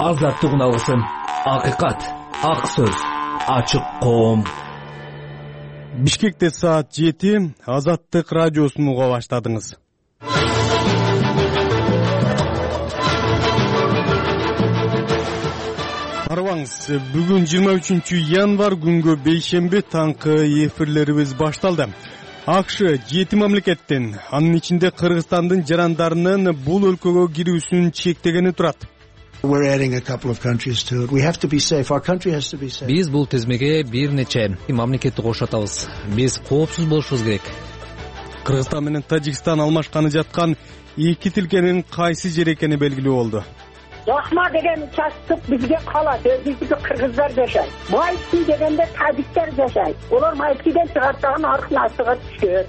азаттык үналысын, акыйкат, ак сөз, ачык коом. Бишкекте саат 7 Азаттык радиосун уга баштадыңыз. Арбаңыз, бүгүн 23 январь күнгө бейшемби таңкы эфирлерибиз башталды. АКШ 7 мамлекеттен, анын ичинде Кыргызстандын жарандарынын бул өлкөгө кирүүсүн чектегени турат. Биз бул тизмеге бир нече мамлекетти кошотабыз. Биз коопсуз болушубуз керек. Кыргызстан менен Тажикстан алмашканы жаткан эки тилкенин кайсы жер экени белгилүү болду. Жакма деген участок бизге калат, биздики кыргыздар жашайт. Майки дегенде тажиктер жашайт. Олар Майкиден чыгартаган аркынасыга түшөт.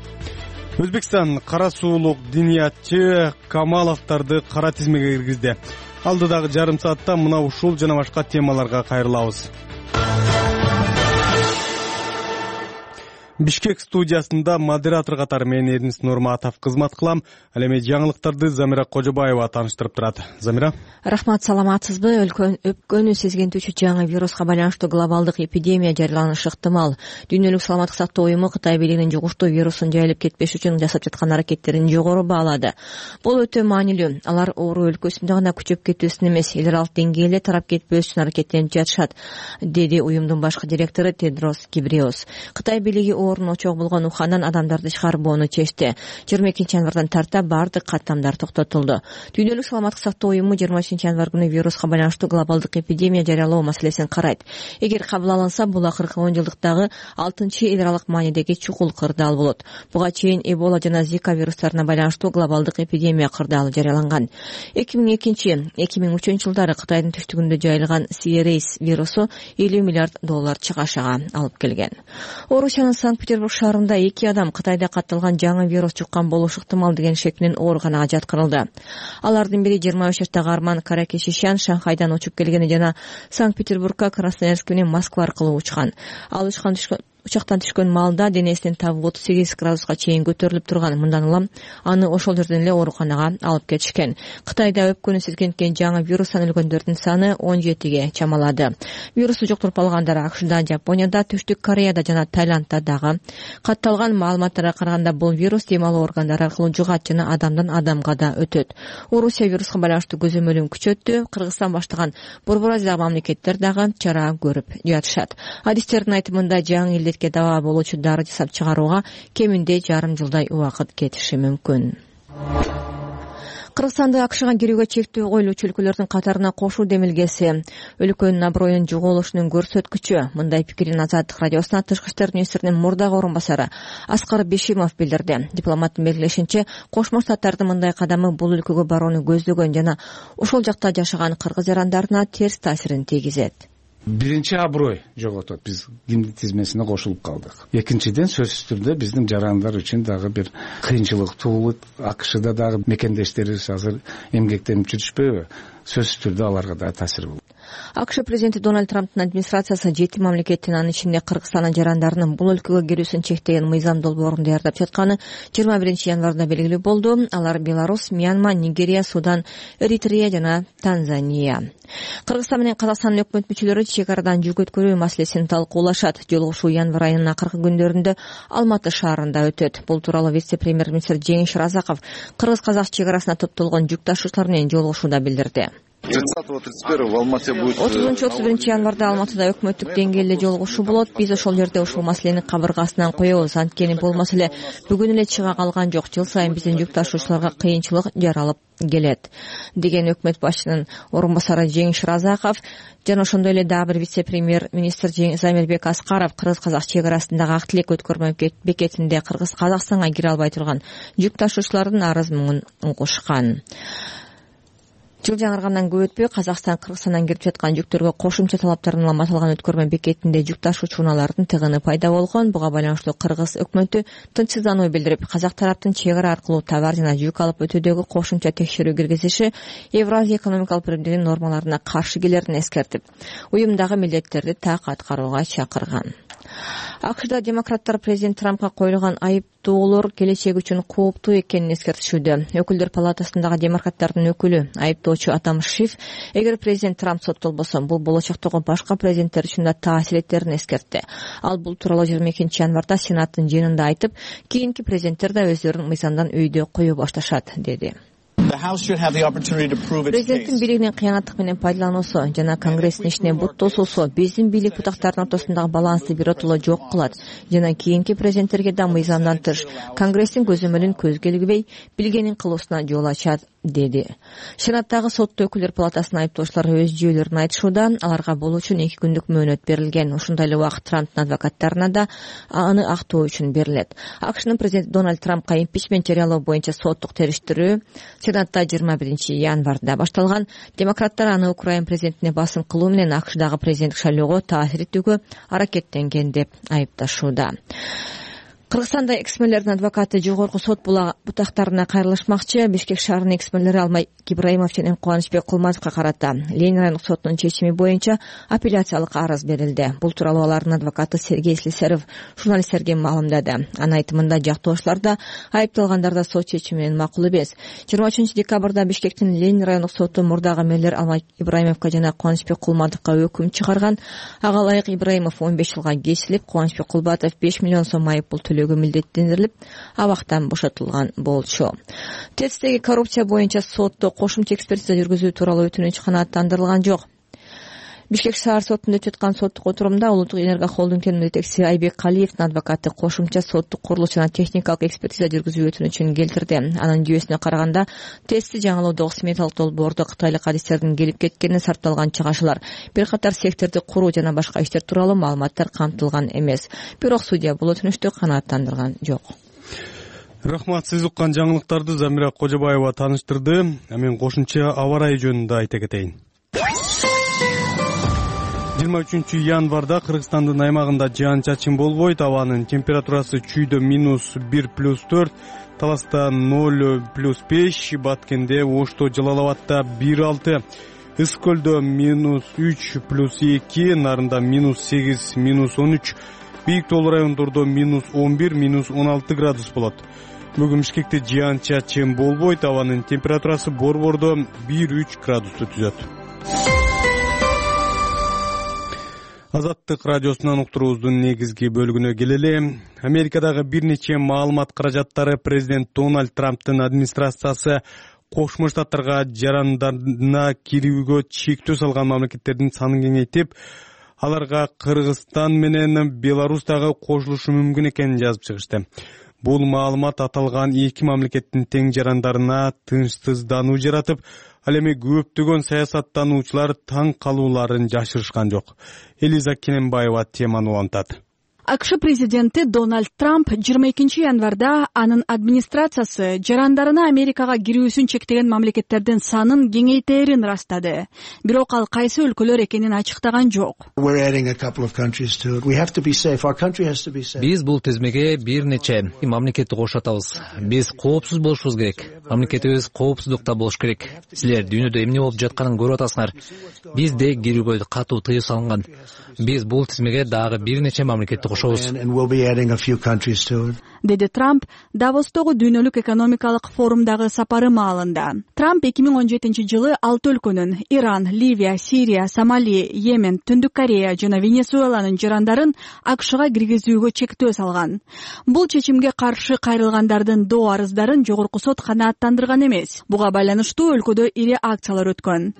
Өзбекстан кара суулук диниятчы Камаловдорду кара тизмеге киргизди. Алдыдагы жарым саатта мына ушул жана башка темаларга кайрылабыз. Бишкек студиясында модератор катары мен Эрнис Нурматов кызмат кылам. Ал эми жаңылыктарды Замира Кожобаева тааныштырып турат. Замира. Рахмат, саламатсызбы? Өпкөнү сезгентүүчү жаңы вируска байланыштуу глобалдык эпидемия жарыяланышы ыктымал. Дүйнөлүк саламаттык сактоо уюму Кытай бийлигинин жугуштуу вирустун жайылып кетпеш үчүн жасап жаткан аракеттерин жогору баалады. Бул өтө маанилүү. Алар оору өлкөсүндө гана күчөп кетүүсүн эмес, эл аралык деңгээлде тарап кетпеш үчүн аракеттенип жатышат, деди уюмдун башкы директору Тедрос Гебрейесус. Кытай бийлиги оорунун очогу болгон Ухандан адамдарды чыгарбоону чечти. 22 январдан тарта бардык каттамдар токтотулду. Дүйнөлүк саламаттык сактоо уюму 23 январь күнү вируска байланыштуу глобалдык эпидемия жарыялоо маселесин карайт. Эгер кабыл алынса, бул акыркы 10 жылдыктагы 6-чы эл аралык маанидеги чукул кырдаал болот. Буга чейин Эбола жана Зика вирустарына байланыштуу глобалдык эпидемия кырдаалы жарыяланган. 2002-2003 жылдары Кытайдын түштүгүндө жайылган Сиерейс вирусу $50 миллиард чыгашага алып келген. Орусиянын Санкт-Петербург шаарында 2 адам Кытайда катталган жаңы вирус жуккан болушу ыктымал деген шек менен ооруканага жаткырылды. Алардын бири 23 жаштагы Арман Каракешишян Шанхайдан учуп келгени жана Санкт-Петербургка Красноярск менен Москва аркылуу учкан. Ал учактан түшкөн маалда денесинин табы 38 градуска чейин көтөрүлүп турган. Мындан улам аны ошол жерден эле ооруканага алып кетишкен. Кытайда өпкөнү сезгенткен жаңы вирустан өлгөндөрдүн саны 17ге чамалады. Вирусту жуктуруп алгандар АКШда, Жапонияда, Түштүк Кореяда жана Таиландда дагы. Катталган маалыматтарга караганда бул вирус дем алуу органдары аркылуу жугат жана адамдан адамга да өтөт. Орусия вируска байланыштуу көзөмөлүн күчөттү. Кыргызстан баштаган Борбор Азиядагы мамлекеттер дагы чара көрүп жатышат. Адистердин айтымында жаңы илдетке дава болуучу дары жасап чыгарууга кеминде жарым жылдай убакыт кетиши мүмкүн. Кыргызстанды АКШга кирүүгө чектөө коюлуучу өлкөлөрдүн катарына кошуу демилгеси өлкөнүн аброюнун жоголушунун көрсөткүчү. Мындай пикирин Азаттык радиосуна Тышкы иштер министринин мурдагы орун басары Аскар Бишимов билдирди. Дипломаттын белгилешинче, Кошмо Штаттардын мындай кадамы бул өлкөгө барууну көздөгөн жана ошол жакта жашаган кыргыз жарандарына терс таасирин тийгизет. Биринчи аброй жоготот, биз кимдик тизмесине кошулуп калдык. Экинчиден, сөзсүз түрдө биздин жарандар үчүн дагы бир кыйынчылык туулут. АКШда дагы мекендештерибиз азыр эмгектенип жүрүшпөйбү? Сөзсүз түрдө аларга да таасир болот. АКШ президенти Дональд Трамптын администрациясы 7 мамлекеттин, анын ичинде Кыргызстандын жарандарынын бул өлкөгө кирүүсүн чектеген мыйзам долбоорун даярдап жатканы 21 январда белгилүү болду. Алар Беларусь, Мьянма, Нигерия, Судан, Эритрея жана Танзания. Кыргызстан менен Казакстандын өкмөт мүчөлөрү чек арадан жүк өткөрүү маселесин талкуулашат. Жолугушуу январь айынын акыркы күндөрүндө Алматы шаарында өтөт. Бул тууралуу вице-премьер-министр Жеңиш Разаков Кыргыз-Казак чек арасына топтолгон жүк ташуучулар менен жолугушууда билдирди. 30-31 в Алмате будет. 30-31 январда Алматыда өкмөттүк деңгээлде жолугушуу болот. Биз ошол жерде ушул маселени кабыргасынан коебуз. Анткени бул маселе бүгүн эле чыга калган жок. Жыл сайын биздин жүк ташуучуларга кыйынчылык жаралып келет, деген өкмөт башчынын орун басары Жеңиш Разаков. Жана ошондой эле дагы бир вице-премьер-министр Замирбек Аскаров Кыргыз-Казак чек арасындагы ак тилек өткөрмө бекетинде Кыргыз-Казакстанга кире албай турган жүк ташуучулардын арыз муңун угушкан. Жыл жаңыргандан көп өтпөй Казакстан Кыргызстандан кирип жаткан жүктөргө кошумча талаптарын улам аталган өткөрмө бекетинде жүк ташуучу унаалардын тыгыны пайда болгон. Буга байланыштуу Кыргыз өкмөтү тынчсыздануу билдирип, Казак тараптын чек ара аркылуу товар жана жүк алып өтүүдөгү кошумча текшерүү киргизиши Евразия экономикалык биримдигинин нормаларына каршы келерин эскертип, уюмдагы милдеттерди так аткарууга чакырган. АКШда демократтар президент Трампка коюлган айыптоолор келечеги үчүн кооптуу экенин эскертишүүдө. Өкүлдөр палатасындагы демократтардын өкүлү, айыптоочу Адам Шиф, эгер президент Трамп соттолбосо, бул болочоктогу башка президенттер үчүн да таасир этерин эскертти. Ал бул тууралуу 22 январда Сенаттын жыйынында айтып, кийинки президенттер да өздөрүн мыйзамдан өйдө кое башташат, деди. Президенттин бийлигинин кыянаттык менен пайдалануусу жана Конгресстин ишине бут тосуусу биздин бийлик бутактардын ортосундагы балансты биротоло жок кылат жана кийинки президенттерге да мыйзамдан тыш Конгресстин көзөмөлүн көзгө илгибей билгенин кылуусуна жол ачат, деди. Сенаттагы соттуу өкүлдөр палатасынын айыптоочулары өз жүйөлөрүн айтышууда, аларга бул үчүн 2 күндүк мөөнөт берилген. Ушундай эле убакыт Трамптын адвокаттарына да аны актоо үчүн берилет. АКШнын президенти Дональд Трампка импичмент жарыялоо боюнча соттук териштирүү Сенатта 21 январда башталган. Демократтар аны Украина президентине басым кылуу менен АКШдагы президенттик шайлоого таасир этүүгө аракеттенген деп айыпташууда. Кыргызстанда экс-мэрлердин адвокаты жогорку сот бутактарына кайрылышмакчы. Бишкек шаарынын экс-мэрлери Алмай Ибраимов жана Кубанычбек Кулматовго карата Ленин райондук сотунун чечими боюнча апелляциялык арыз берилди. Бул тууралуу алардын адвокаты Сергей Слесарев журналисттерге маалымдады. Анын айтымында жактоочулар да айыпталгандар да сот чечими менен макул эмес. 23 декабрда Бишкектин Ленин райондук соту мурдагы мэрлер Алмай Ибраимовго жана Кубанычбек Кулматовго өкүм чыгарган. Ага ылайык Ибраимов 15 жылга кесилип, Кубанычбек Кулматов 5 миллион сом айыппул төлөөгө милдеттендирилип, абактан бошотулган болчу. ТЭЦтеги коррупция боюнча сотто кошумча экспертиза жүргүзүү тууралуу өтүнүч канааттандырылган жок. Бишкек шаар сотунда өтүп аткан соттук отурумда Улуттук Энерго холдингдин жетекчиси Айбек Калиевдин адвокаты кошумча соттук курулуш жана техникалык экспертиза жүргүзүү өтүнүчүн келтирди. Анын жүйөсүнө караганда ТЭЦти жаңылоодогу сметалык долбоордо кытайлык адистердин келип кеткени сарпталган чыгашылар, бир катар секторду куруу жана башка иштер тууралуу маалыматтар камтылган эмес. Бирок судья бул өтүнүчтү канааттандырган жок. Рахмат, сиз уккан жаңылыктарды Замира Кожобаева тааныштырды. Мен кошумча аба ырайы жөнүндө айта кетейин. 23 январда Кыргызстандын аймагында жаан-чачын болбойт. Абанын температурасы чүйдө -1+4, Таласта 0+5, Баткенде, Ошто, Жалал-Абадта 1+6, Ысык көлдө -3+2, Нарында -8, -13, Бийик тоолуу райондордо -11, -16 градус болот. Бүгүн Бишкекте жаан-чачын болбойт. Абанын температурасы борбордо 1-3 градусту түзөт. Азаттык радиосунан уктуруубуздун негизги бөлүгүнө келели. Америкадагы бир нече маалымат каражаттары президент Дональд Трамптын администрациясы Кошмо Штаттарга жарандарына кирүүгө чектөө салган мамлекеттердин санын кеңейтип, аларга Кыргызстан менен Беларусь дагы кошулушу мүмкүн экенин жазып чыгышты. Бул маалымат аталган эки мамлекеттин тең жарандарына тынчсыздануу жаратып, ал эми көптөгөн саясаттануучулар таң калууларын жашырышкан жок. Элиза Кененбаева теманы улантат. АКШ президенти Дональд Трамп 22 январда анын администрациясы жарандарына Америкага кирүүсүн чектеген мамлекеттердин санын кеңейтерин ырастады. Бирок ал кайсы өлкөлөр экенин ачыктаган жок. Биз бул тизмеге бир нече мамлекетти кошотабыз. Биз коопсуз болушубуз керек. Мамлекетибиз коопсуздукта болуш керек. Силер дүйнөдө эмне болуп жатканын көрүп атасыңар. Бизде кирүүгө катуу тыюу салынган. Биз бул тизмеге дагы бир нече мамлекетти деди Трамп Давостогу дүйнөлүк экономикалык форумдагы сапары маалында. Трамп 2017 жылы 6 өлкөнүн Иран, Ливия, Сирия, Сомали, Йемен, Түндүк Корея жана Венесуэланын жарандарын АКШга киргизүүгө чектөө салган. Бул чечимге каршы кайрылгандардын доо арыздарын жогорку сот канааттандырган эмес. Буга байланыштуу өлкөдө ири акциялар өткөн.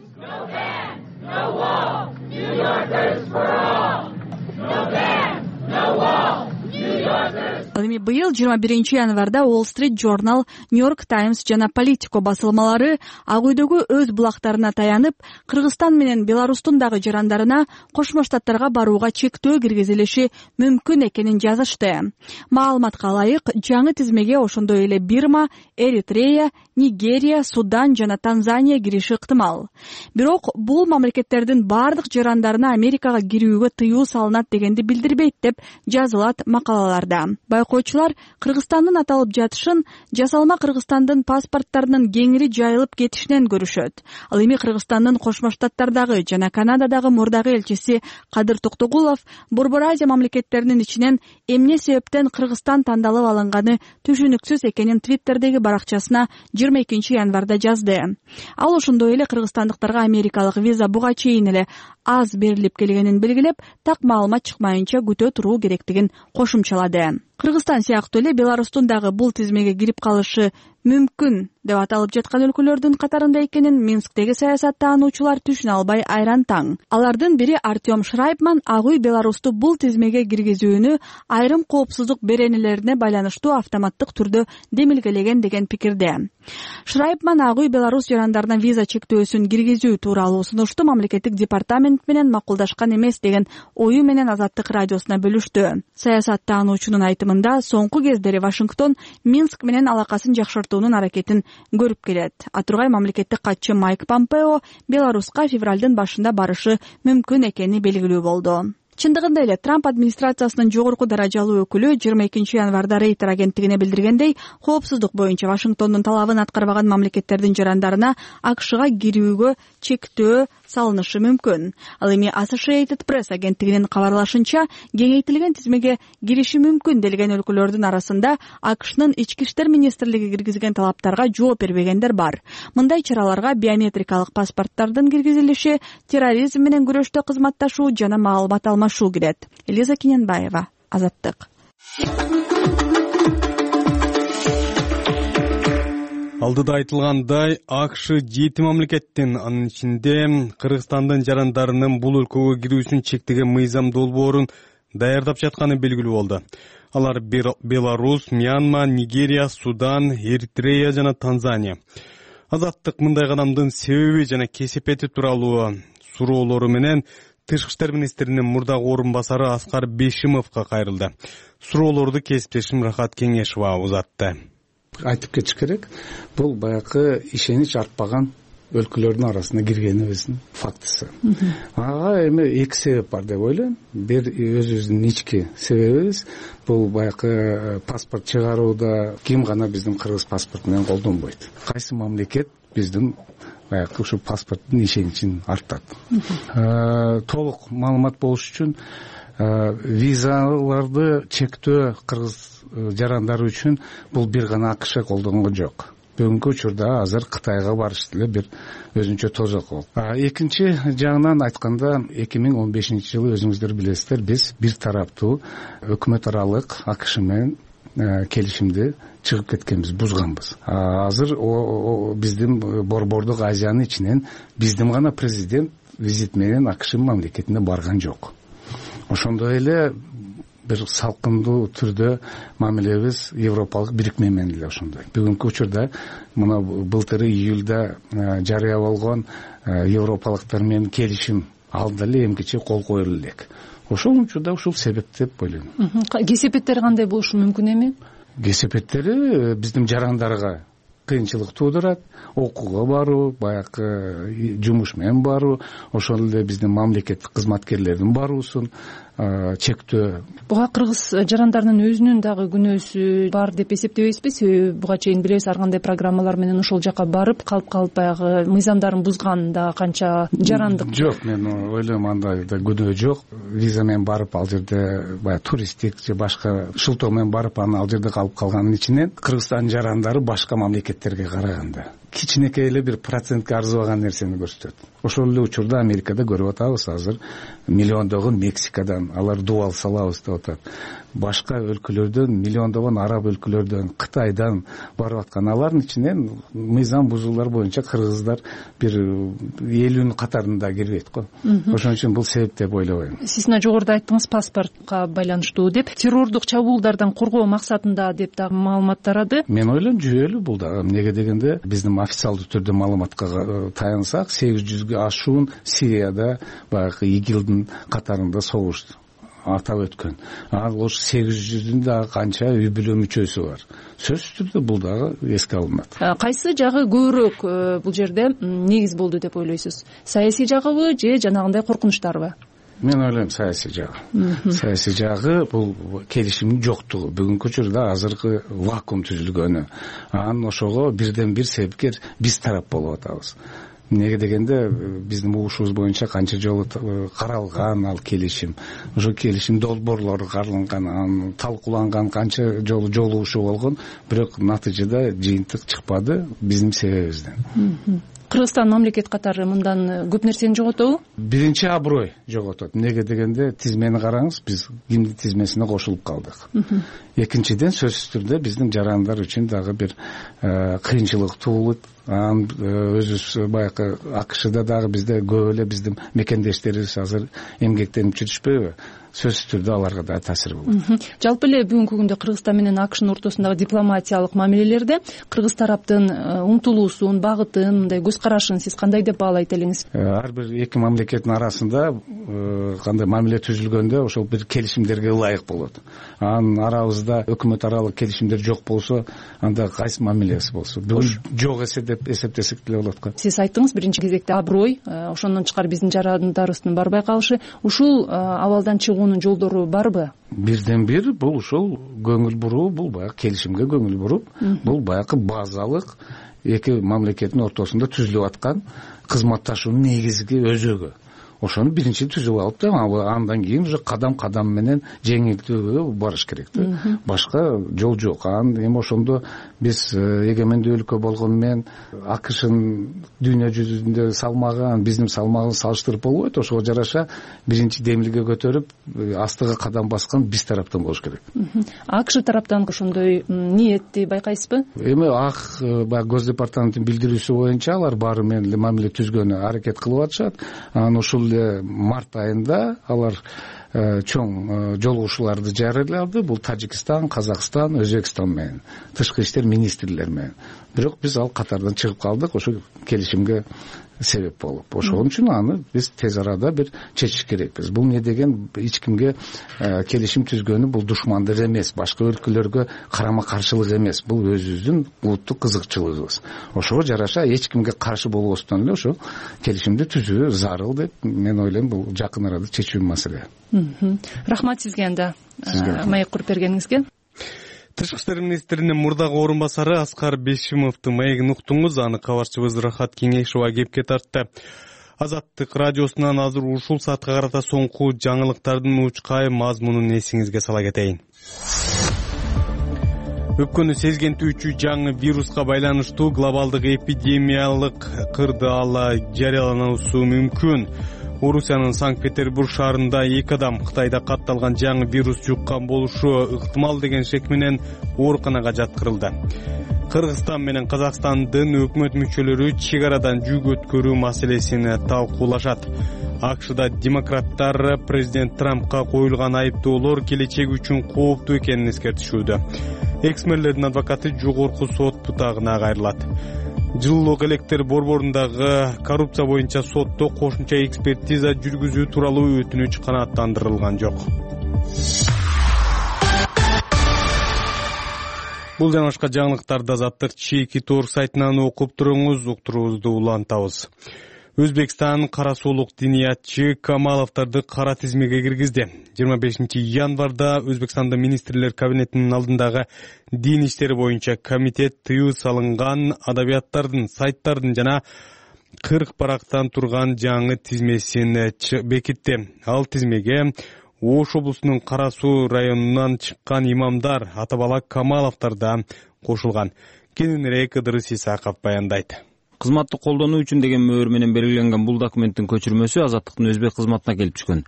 Ал эми быйыл 21 январда Wall Street Journal, New York Times жана Politico басылмалары Ак үйдөгү өз булактарына таянып, Кыргызстан менен Беларустун дагы жарандарына Кошмо Штаттарга барууга чектөө киргизилиши мүмкүн экенин жазышты. Маалыматка ылайык, жаңы тизмеге ошондой эле Бирма, Эритрея, Нигерия, Судан жана Танзания кириши ыктымал. Бирок бул мамлекеттердин бардык жарандарына Америкага кирүүгө тыюу салынат дегенди билдирбейт деп жазылат макалалар. аларда. Байкоочулар Кыргызстандын аталып жатышын жасалма Кыргызстандын паспорттарынын кеңири жайылып кетишинен көрүшөт. Ал эми Кыргызстандын Кошмо Штаттардагы жана Канададагы мурдагы элчиси Кадыр Токтогулов Борбор Азия мамлекеттеринин ичинен эмне себептен Кыргызстан тандалып алынганы түшүнүксүз экенин Твиттердеги баракчасына 22 январда жазды. Ал ошондой эле кыргызстандыктарга америкалык виза буга чейин эле аз берилип келгенин белгилеп, так маалымат чыкмайынча күтө туруу керектигин кошумчалады. Кыргызстан сыяктуу эле Беларустун дагы бул тизмеге кирип калышы мүмкүн деп аталып жаткан өлкөлөрдүн катарында экенин Минсктеги саясат таануучулар түшүнө албай айран таң. Алардын бири Артем Шрайбман Ак үй Беларусту бул тизмеге киргизүүнү айрым коопсуздук беренелерине байланыштуу автоматтык түрдө демилгелеген деген пикирде. Шрайбман Ак үй Беларусь жарандарына виза чектөөсүн киргизүү тууралуу сунушту мамлекеттик департамент менен макулдашкан эмес деген ою менен Азаттык радиосуна бөлүштү. Саясат таануучунун айтымында соңку кездери Вашингтон Минск менен алакасын жакшыртуунун аракетин көрүп келет. Атургай мамлекеттик катчы Майк Помпео Беларуска февралдын башында барышы мүмкүн экени белгилүү болду. Чындыгында эле Трамп администрациясынын жогорку даражалуу өкүлү 22 январда Рейтер агенттигине билдиргендей, коопсуздук боюнча Вашингтондун талабын аткарбаган мамлекеттердин жарандарына АКШга кирүүгө чектөө салынышы мүмкүн. Ал эми Associated Press агенттигинин кабарлашынча, кеңейтилген тизмеге кириши мүмкүн делген өлкөлөрдүн арасында АКШнын ички иштер министрлиги киргизген талаптарга жооп бербегендер бар. Мындай чараларга биометрикалык паспорттардын киргизилиши, терроризм менен күрөштө кызматташуу жана маалымат алмашуу кирет. Элиза Кененбаева, Азаттык. Алдыда айтылгандай, АКШ 7 мамлекеттин, анын ичинде Кыргызстандын жарандарынын бул өлкөгө кирүүсүн чектеген мыйзам долбоорун даярдап жатканы белгилүү болду. Алар Беларусь, Мьянма, Нигерия, Судан, Эритрея жана Танзания. Азаттык мындай кадамдын себеби жана кесепети тууралуу суроолору менен Тышкы иштер министринин мурдагы орун басары Аскар Бейшимовго кайрылды. Суроолорду кесиптешим Рахат Кеңешова узатты. Айтып кетиш керек, бул баягы ишенич артпаган өлкөлөрдүн арасына киргенибиздин фактысы. Ага эми эки себеп бар деп ойлойм. Бир өзүбүздүн ички себебибиз, бул баягы паспорт чыгарууда ким гана биздин кыргыз паспорту менен колдонбойт. Кайсы мамлекет биздин баягы ушу паспорттун ишеничин артат. Толук маалымат болуш үчүн визаларды чектөө кыргыз жарандары үчүн бул бир гана АКШ колдонгон жок. Бүгүнкү учурда азыр Кытайга барыш деле бир өзүнчө тозок болуп. Экинчи жагынан айтканда 2015 жылы өзүңүздөр билесиздер, биз бир тараптуу өкмөт аралык АКШ менен келишимди чыгып кеткенбиз, бузганбыз. Азыр биздин Борбордук Азиянын ичинен биздин гана президент визит менен АКШ мамлекетине барган жок. Ошондой эле бир салкындуу түрдө мамилебиз Европалык бирикме менен эле ошондой. Бүгүнкү учурда мына былтыр июлда жарыя болгон европалыктар менен келишим алда эле эмкиче кол коюлду элек. Ошол учурда ушул себеп деп ойлойм. Кесепеттери кандай болушу мүмкүн эми? Кесепеттери биздин жарандарга кыйынчылык туудурат, окууга баруу, баягы жумуш менен баруу, ошол эле биздин мамлекеттик кызматкерлердин баруусун чектөө. Буга кыргыз жарандарынын өзүнүн дагы күнөөсү бар деп эсептебейсизби? Себеби буга чейин билебиз, ар кандай программалар менен ошол жака барып калып баягы мыйзамдарын бузган да канча жарандык. Жок, мен ойлойм андай да күнөө жок. Виза менен барып ал жерде баягы туристтик же башка шылтоо менен барып ал жерде калып калганын ичинен Кыргызстан жарандары башка мамлекеттерге караганда кичинекей эле бир процентке арзыбаган нерсени көрсөтөт. Ошол эле учурда Америкада көрүп атабыз, азыр миллиондогон Мексикадан алар дуал салабыз деп атат. Башка өлкөлөрдөн, миллиондогон араб өлкөлөрдөн, Кытайдан барып аткан, алардын ичинен мыйзам бузуулар боюнча кыргыздар бир 50 катарында кирбейт го. Ошон үчүн бул себеп деп ойлобойм. Сиз жогоруда айттыңыз, паспортко байланыштуу деп, террордук чабуулдардан коргоо максатында деп дагы маалымат тарады. Мен ойлойм жүйөлүү бул да. Эмнеге дегенде биздин официалдуу түрдө маалыматка таянсак, 800гө ашуун Сирияда баягы ИГИЛдин катарында согуш атап өткөн. Ал ош 800-дүн дагы канча үй бүлө мүчөсү бар. Сөзсүз түрдө бул дагы эске алынат. Кайсы жагы көбүрөөк бул жерде негиз болду деп ойлойсуз? Саясий жагыбы же жанагындай коркунучтарбы? Мен ойлойм саясий жагы бул келишимдин жоктугу. Бүгүнкү учурда азыркы вакуум түзүлгөнү. Анан ошого бирден бир себепкер биз тарап болуп атабыз. Неге дегенде биздин угушубуз боюнча канча жолу каралган ал келишим, ошо келишим долбоорлору каралган, анан талкууланган, канча жолу жолугушуу болгон, бирок натыйжада жыйынтык чыкпады биздин себебибизден. Кыргызстан мамлекет катары мындан көп нерсени жоготобу? Биринчи аброй жоготот. Неге дегенде тизмени караңыз, биз кимдин тизмесине кошулуп калдык. Экинчиден сөзсүз түрдө биздин жарандар үчүн дагы бир кыйынчылык туулут. Анан өзүбүз баягы АКШда дагы бизде көп эле биздин мекендештерибиз азыр эмгектенип жүрүшпөйбү? Сөзсүз түрдө аларга да таасир болот. Жалпы эле бүгүнкү күндө Кыргызстан менен АКШнын ортосундагы дипломатиялык мамилелерде кыргыз тараптын умтулуусун, багытын, мындай көз карашын сиз кандай деп баалайт элеңиз? Ар бир эки мамлекеттин арасында кандай мамиле түзүлгөндө ошол бир келишимдерге ылайык болот. Анан арабызда өкмөт аралык келишимдер жок болсо, анда кайсы мамилеси болсо, бүгүн жок деп эсептесек деле болот го. Сиз айттыңыз биринчи кезекте аброй, ошондон тышкары биздин жарандарыбыздын барбай калышы, ушул абалдан чыгуунун жолдору барбы? Бирден бир бул ушул көңүл буруу, бул баягы келишимге көңүл буруп, бул баягы базалык эки мамлекеттин ортосунда түзүлүп аткан кызматташуунун негизги өзөгү. Ошону биринчи түзүп алып да, андан кийин уже кадам менен жеңилтүүгө барыш керек да. Башка жол жок. Анан эми ошондо биз эгемендүү өлкө болгону менен АКШнын дүйнө жүзүндө салмагы, биздин салмагын салыштырып болбойт. Ошого жараша биринчи демилге көтөрүп, астыга кадам баскан биз тараптан болуш керек. АКШ тараптан ошондой ниетти байкайсызбы? Эми баягы Гос департаменттин билдирүүсү боюнча алар баары менен эле мамиле түзгөнү аракет кылып атышат. Анан ушул март айында алар чоң жолугушууларды жарыялады. Бул Тажикстан, Казакстан, Өзбекстан менен, тышкы иштер министрлери менен. Бирок биз ал катардан чыгып калдык, ошо келишимге себеп болуп. Ошон үчүн аны биз тез арада бир чечиш керекпиз. Бул не деген эч кимге келишим түзгөнү бул душмандык эмес, башка өлкөлөргө карама каршылык эмес. Бул өзүбүздүн улуттук кызыкчылыгыбыз. Ошого жараша эч кимге каршы болбостон эле ошо келишимди түзүү зарыл деп мен ойлойм. Бул жакын арада чечүү маселе. Рахмат сизге анда маек куруп бергениңизге. Тышкы иштер министринин мурдагы орун басары Аскар Бешимовдун маегин уктуңуз. Аны кабарчыбыз Рахат Кеңешова кепке тартты. Азаттык радиосунан азыр ушул саатка карата соңку жаңылыктардын учкай мазмунун эсиңизге сала кетейин. Өпкөнү сезгентүүчү жаңы вируска байланыштуу глобалдык эпидемиялык кырдаал жарыялануусу мүмкүн. Орусиянын Санкт-Петербург шаарында 2 адам Кытайда катталган жаңы вирус жуккан болушу ыктымал деген шек менен ооруканага жаткырылды. Кыргызстан менен Казакстандын өкмөт мүчөлөрү чек арадан жүк өткөрүү маселесин талкуулашат. АКШда демократтар президент Трампка коюлган айыптоолор келечек үчүн кооптуу экенин эскертишүүдө. Экс-мэрлердин адвокаты жогорку сот бутагына кайрылат. Жылуулук электр борборундагы коррупция боюнча сотто кошумча экспертиза жүргүзүү тууралуу өтүнүч канааттандырылган жок. Бул жана башка жаңылыктарды Азаттык чеки тор сайтынан окуп туруңуз. Уктуруубузду улантабыз. Өзбекстан кара соолук диниятчы Камаловдорду кара тизмеге киргизди. 25 январда Өзбекстанда министрлер кабинетинин алдындагы дин иштери боюнча комитет тыюу салынган адабияттардын, сайттардын жана 40 барактан турган жаңы тизмесин бекитти. Ал тизмеге Ош облусунун Кара Суу районунан чыккан имамдар Атабала Камаловдор да кошулган. Кененирээк Ыдырыс Исаков баяндайт. Кызматты колдонуу үчүн деген мөөр менен белгиленген бул документтин көчүрмөсү Азаттыктын өзбек кызматына келип түшкөн.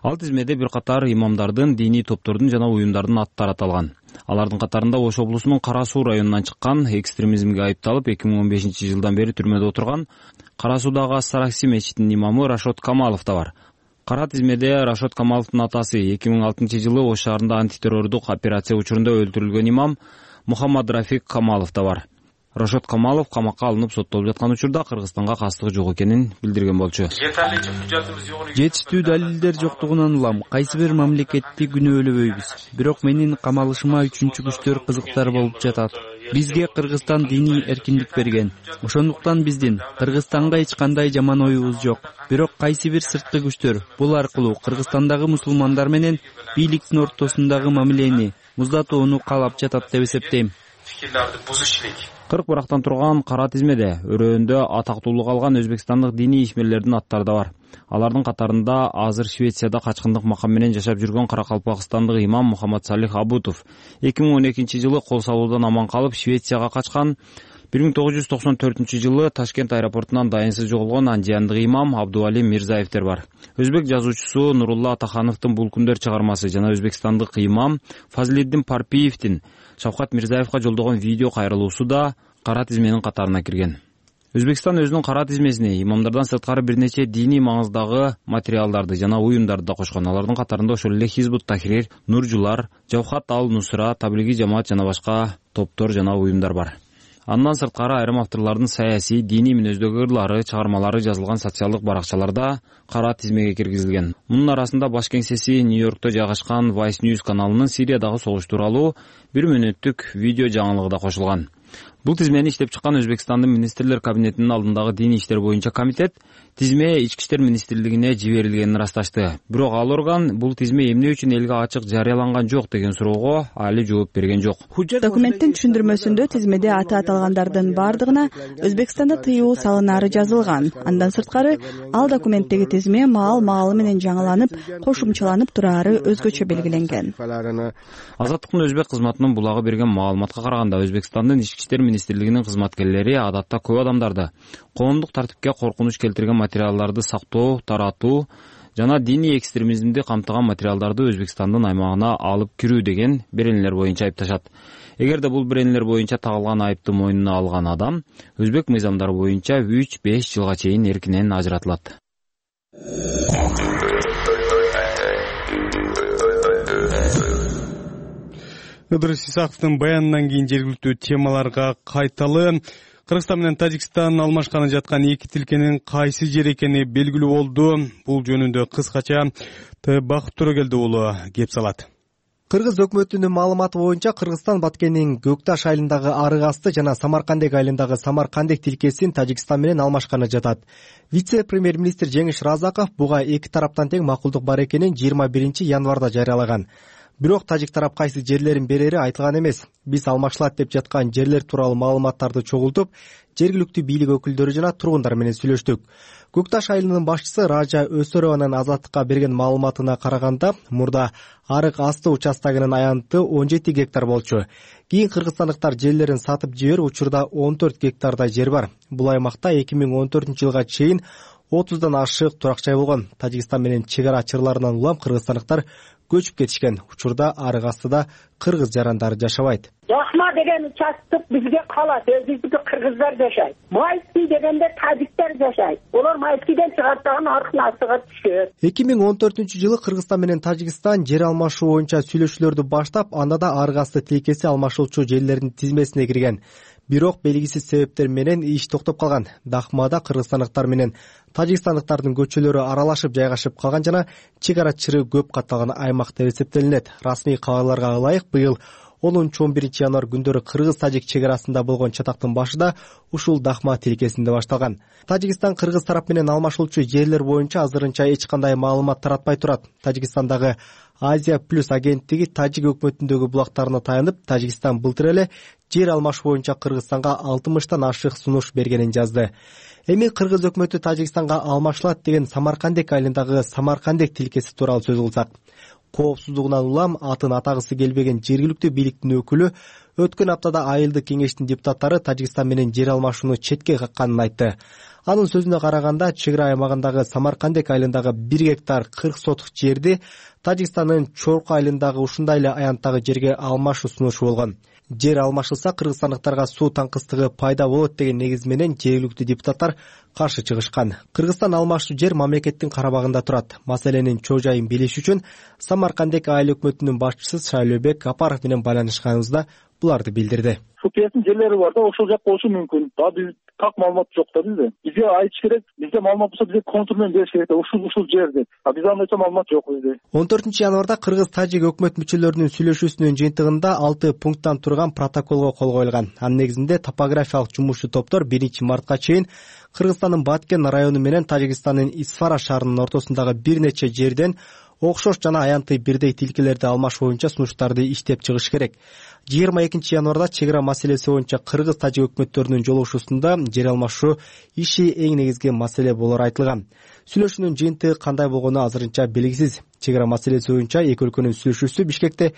Ал тизмеде бир катар имамдардын, диний топтордун жана уюмдардын аттары аталган. Алардын катарында Ош облусунун Кара Суу районунан чыккан, экстремизмге айыпталып 2015 жылдан бери түрмөдө отурган Кара Суудагы Ас-Саракси мечитинин имамы Рашод Камалов да бар. Кара тизмеде Рашод Камаловдун атасы 2006 жылы Ош шаарында антитеррордук операция учурунда өлтүрүлгөн имам Мухаммад Рафик Камалов да бар. Рашод Камалов камакка алынып соттолуп жаткан учурда Кыргызстанга кастыгы жок экенин билдирген болчу. Жетиштүү далилдер жоктугунан улам кайсы бир мамлекетти күнөөлөбөйбүз. Бирок менин камалышыма үчүнчү күчтөр кызыктар болуп жатат. Бизге Кыргызстан диний эркиндик берген. Ошондуктан биздин Кыргызстанга эч кандай жаман оюбуз жок. Бирок кайсы бир сырткы күчтөр бул аркылуу Кыргызстандагы мусулмандар менен бийликтин ортосундагы мамилени муздатууну каалап жатат деп эсептейм. 40 турган кара тизмеде өрөөндө атактуулук алган өзбекстандык диний ишмерлердин аттары да бар. Алардын катарында азыр Швецияда качкындык макам менен жашап жүргөн Каракалпакстандык имам Мухаммад Салих Абутов 2012-жылы кол салуудан аман калып Швецияга качкан. 1994-жылы Ташкент аэропортунан дайынсыз жоголгон андиандык имам Абдуали Мирзаевдер бар. Өзбек жазуучусу Нурулла Атахановдун Бул күндөр чыгармасы жана өзбекстандык имам Фазлиддин Парпиевдин Шавкат Мирзаевга жолдогон видео кайрылуусу да кара тизменин катарына кирген. Өзбекстан өзүнүн кара тизмесине имамдардан сырткары бир нече диний маңыздагы материалдарды жана уюмдарды да кошкон. Алардын катарында ошол эле Хизбут Тахрир, Нуржулар, Жавхат ал-Нусра, Таблиги жамаат жана башка топтор жана уюмдар бар. Андан сырткары айрым авторлордун саясий, диний мүнөздөгү ырлары, чыгармалары жазылган социалдык баракчаларда кара тизмеге киргизилген. Мунун арасында баш кеңсеси Нью-Йоркто жайгашкан Vice News каналынын Сириядагы согуш тууралуу 1 мүнөттүк видео жаңылыгы да кошулган. Бул тизмени иштеп чыккан Өзбекстандын министрлер кабинетинин алдындагы диний иштер боюнча комитет тизме Ички иштер министрлигине жиберилгенин ырасташты. Бирок ал орган бул тизме эмне үчүн элге ачык жарыяланган жок деген суроого али жооп берген жок. Документтин түшүндүрмөсүндө тизмеде аты аталгандардын бардыгына Өзбекстанда тыюу салынары жазылган. Андан сырткары ал документтеги тизме маал менен жаңыланып, кошумчаланып турары өзгөчө белгиленген. Азаттыктын өзбек кызматынын булагы берген маалыматка караганда Өзбекстандын Ички иштер министрлигинин кызматкерлери адатта көп адамдарды коомдук тартипке коркунуч келтирген материалдарды сактоо, таратуу жана диний экстремизмди камтыган материалдарды Өзбекстандын аймагына алып кирүү деген беренелер боюнча айыпташат. Эгерде бул беренелер боюнча тагылган айыпты мойнуна алган адам өзбек мыйзамдары боюнча 3-5 жылга чейин эркинен ажыратылат. Ыдырыс Исаковдун баянынан кийин жергиликтүү темаларга кайталы. Кыргызстан менен Тажикстан алмашканы жаткан эки тилкенин кайсы жер экени белгилүү болду. Бул жөнүндө кыскача Бакыт Төрөгелди уулу кеп салат. Кыргыз өкмөтүнүн маалыматы боюнча Кыргызстан Баткендин Көкташ айылындагы Арык асты жана Самаркандек айылындагы Самаркандек тилкесин Тажикстан менен алмашканы жатат. Вице-премьер-министр Жеңиш Разаков буга эки тараптан тең макулдук бар экенин 21 январда жарыялаган. Бирок тажик тарап кайсы жерлерин берери айтылган эмес. Биз алмашылат деп жаткан жерлер тууралуу маалыматтарды чогултуп, жергиликтүү бийлик өкүлдөрү жана тургундар менен сүйлөштүк. Көкташ айылынын башчысы Ража Өсөрованын Азаттыкка берген маалыматына караганда, мурда Арык асты участогунун аянты 17 гектар болчу. Кийин кыргызстандыктар жерлерин сатып жиберип, учурда 14 гектардай жер бар. Бул аймакта 2014-жылга чейин 30дан ашык турак жай болгон. Тажикстан менен чек ара чырларынан улам кыргызстандыктар көчүп кетишкен. Учурда Арык астыда кыргыз жарандары жашабайт. Жакма деген участок бизге калат, өзүбүздү кыргыздар жашайт. Майский дегенде тажиктер жашайт. Олар Майскийден чыгартаган Арыктын астыга түшөт. 2014-жылы Кыргызстан менен Тажикстан жер алмашуу боюнча сүйлөшүүлөрдү баштап, анда да Арык асты тилкеси алмашылчу жерлердин тизмесине кирген. Бирок белгисиз себептер менен иш токтоп калган. Дахмада кыргызстандыктар менен тажикстандыктардын көчөлөрү аралашып жайгашып калган жана чек ара чыры көп катталган аймак деп эсептелинет. Расмий кабарларга ылайык, быйыл 10-11 январ күндөрү кыргыз-тажик чек арасында болгон чатактын башында ушул Дахма тилкесинде башталган. Тажикстан кыргыз тарап менен алмашылчу жерлер боюнча азырынча эч кандай маалымат таратпай турат. Тажикстандагы Азия плюс агенттиги тажик өкмөтүндөгү булактарына таянып, Тажикстан былтыр эле жер алмаш боюнча Кыргызстанга 60тан ашык сунуш бергенин жазды. Эми кыргыз өкмөтү Тажикстанга алмашылат деген Самаркандек айылындагы Самаркандек тилкеси тууралуу сөз кылсак, коопсуздугунан улам атын атагысы келбеген жергиликтүү бийликтин өкүлү өткөн аптада айылдык кеңештин депутаттары Тажикстан менен жер алмашууну четке какканын айтты. Анын сөзүнө караганда, чек ара аймагындагы Самаркандек айылындагы 1 гектар 40 сотук жерди Тажикстандын Чорку айылындагы ушундай эле аянттагы жерге алмашуу сунушу болгон. Жер алмашылса кыргызстандыктарга суу таңкыстыгы пайда болот деген негиз менен жергиликтүү депутаттар каршы чыгышкан. Кыргызстан алмашуу жер мамлекеттин карабагында турат. Маселенин чоо жайын билиш үчүн Самаркандек айыл өкмөтүнүн башчысы Шайлөбек Апаров менен байланышканыбызда буларды билдирди. ФКСтин жерлери бар да, ошол жак болушу мүмкүн. Биз так маалымат жок да бизде. Бизге айтыш керек, бизде маалымат болсо бизге контур менен бериш керек да, ушул жер деп. Бизде андайча маалымат жок бизде. 14-январда кыргыз-тажик өкмөт мүчөлөрүнүн сүйлөшүүсүнүн жыйынтыгында 6 пункттан турган протоколго кол коюлган. Анын негизинде топографиялык жумушчу топтор 1-мартка чейин Кыргызстандын Баткен району менен Тажикстандын Исфара шаарынын ортосундагы бир нече жерден окшош жана аянтый бирдей тилкелерди алмаш боюнча сунуштарды иштеп чыгыш керек. 22-январда чек ара маселеси боюнча кыргыз-тажик өкмөттөрүнүн жолугушуусунда жер алмашуу иши эң негизги маселе болору айтылган. Сүйлөшүүнүн жыйынтыгы кандай болгону азырынча белгисиз. Чек ара маселеси боюнча эки өлкөнүн сүйлөшүүсү Бишкекте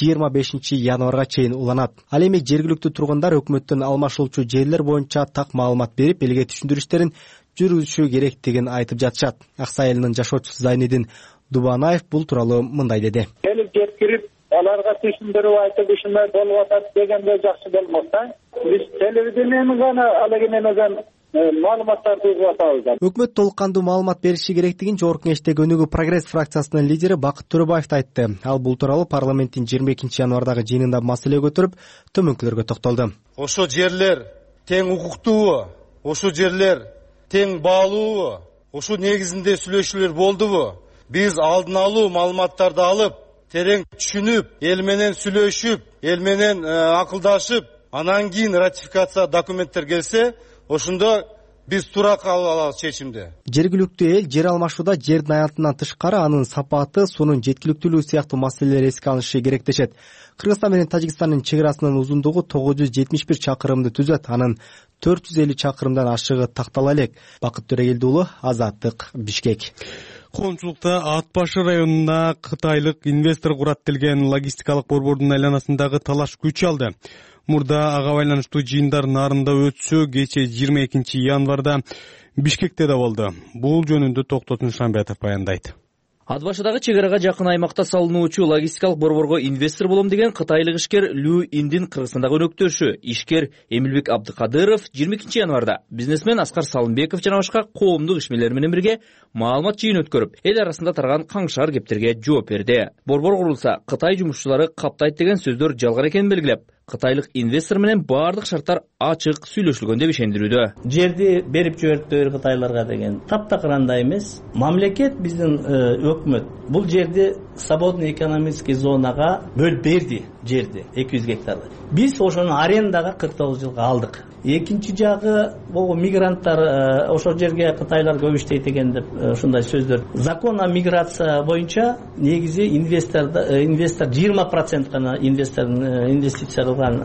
25-январга чейин уланат. Ал эми жергиликтүү тургундар өкмөттөн алмашылуучу жерлер боюнча так маалымат берип, элге түшүндүрүштөрүн жүргүзүшү керектигин айтып жатышат. Аксай айылынын жашоочусу Зайнидин Дубанаев бул тууралуу мындай деди. Келип жеткирип, аларга түшүндүрүп айтып, ушундай болуп атат дегенде жакшы болмок да. Биз телевидениени гана алеги менен маалыматтарды угуп атабыз. Өкмөт толук кандуу маалымат бериши керектигин Жогорку Кеңештеги Өнүгүү Прогресс фракциясынын лидери Бакыт Төрөбаев айтты. Ал бул тууралуу парламенттин 22-январдагы жыйынында маселе көтөрүп, төмөнкүлөргө токтолду. Ошо жерлер тең укуктуубу? Ошо жерлер тең баалуубу? Ошо негизинде сүйлөшүүлөр болдубу? Биз алдын алуу маалыматтарды алып, терең түшүнүп, эл менен сүйлөшүп, эл менен акылдашып, анан кийин ратификация документтер келсе, ошондо биз туура кабыл алабыз чечимди. Жергиликтүү эл жер алмашууда жердин аянтынан тышкары анын сапаты, суунун жеткиликтүүлүгү сыяктуу маселелер эске алынышы керек дешет. Кыргызстан менен Тажикстандын чек арасынын узундугу 971 чакырымды түзөт. Анын 450 чакырымдан ашыгы тактала элек. Бакыт Төрөгелди уулу, Азаттык, Бишкек. Коомчулукта Ат башы районуна кытайлык инвестор курат делген логистикалык борбордун айланасындагы талаш күч алды. Мурда ага байланыштуу жыйындар нарында өтсө, кече 22-январда Бишкекте да болду. Бул жөнүндө Токтотун Шамбетов баяндайт. Ат башыдагы чек арага жакын аймакта салынуучу логистикалык борборго инвестор болом деген кытайлык ишкер Лю Индин Кыргызстандагы өнөктөшү ишкер Эмилбек Абдыкадыров 22-январда бизнесмен Аскар Салымбеков жана башка коомдук ишмерлер менен бирге маалымат жыйын өткөрүп, эл арасында тараган каңшар кептерге жооп берди. Борбор курулса, Кытай жумушчулары каптайт деген сөздөр жалгар экенин белгилеп, кытайлык инвестор менен баардык шарттар ачык сүйлөшүлгөн деп ишендирүүдө. Жерди берип жиберди кытайларга деген таптакыр андай эмес. Мамлекет биздин өкмөт бул жерди свободный экономический зонага бөлүп берди, жерди 200 гектарды. Биз ошону арендага 49 жылга алдык. Экинчи жагы бул мигранттар ошол жерге кытайлар көп иштейт экен деп ушундай сөздөр. Закон о миграция боюнча негизи инвестор 20% гана инвестиция кылган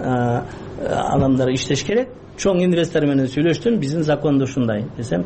адамдар иштеш керек. Чоң инвестор менен сүйлөштүм, биздин закондо ушундай десем,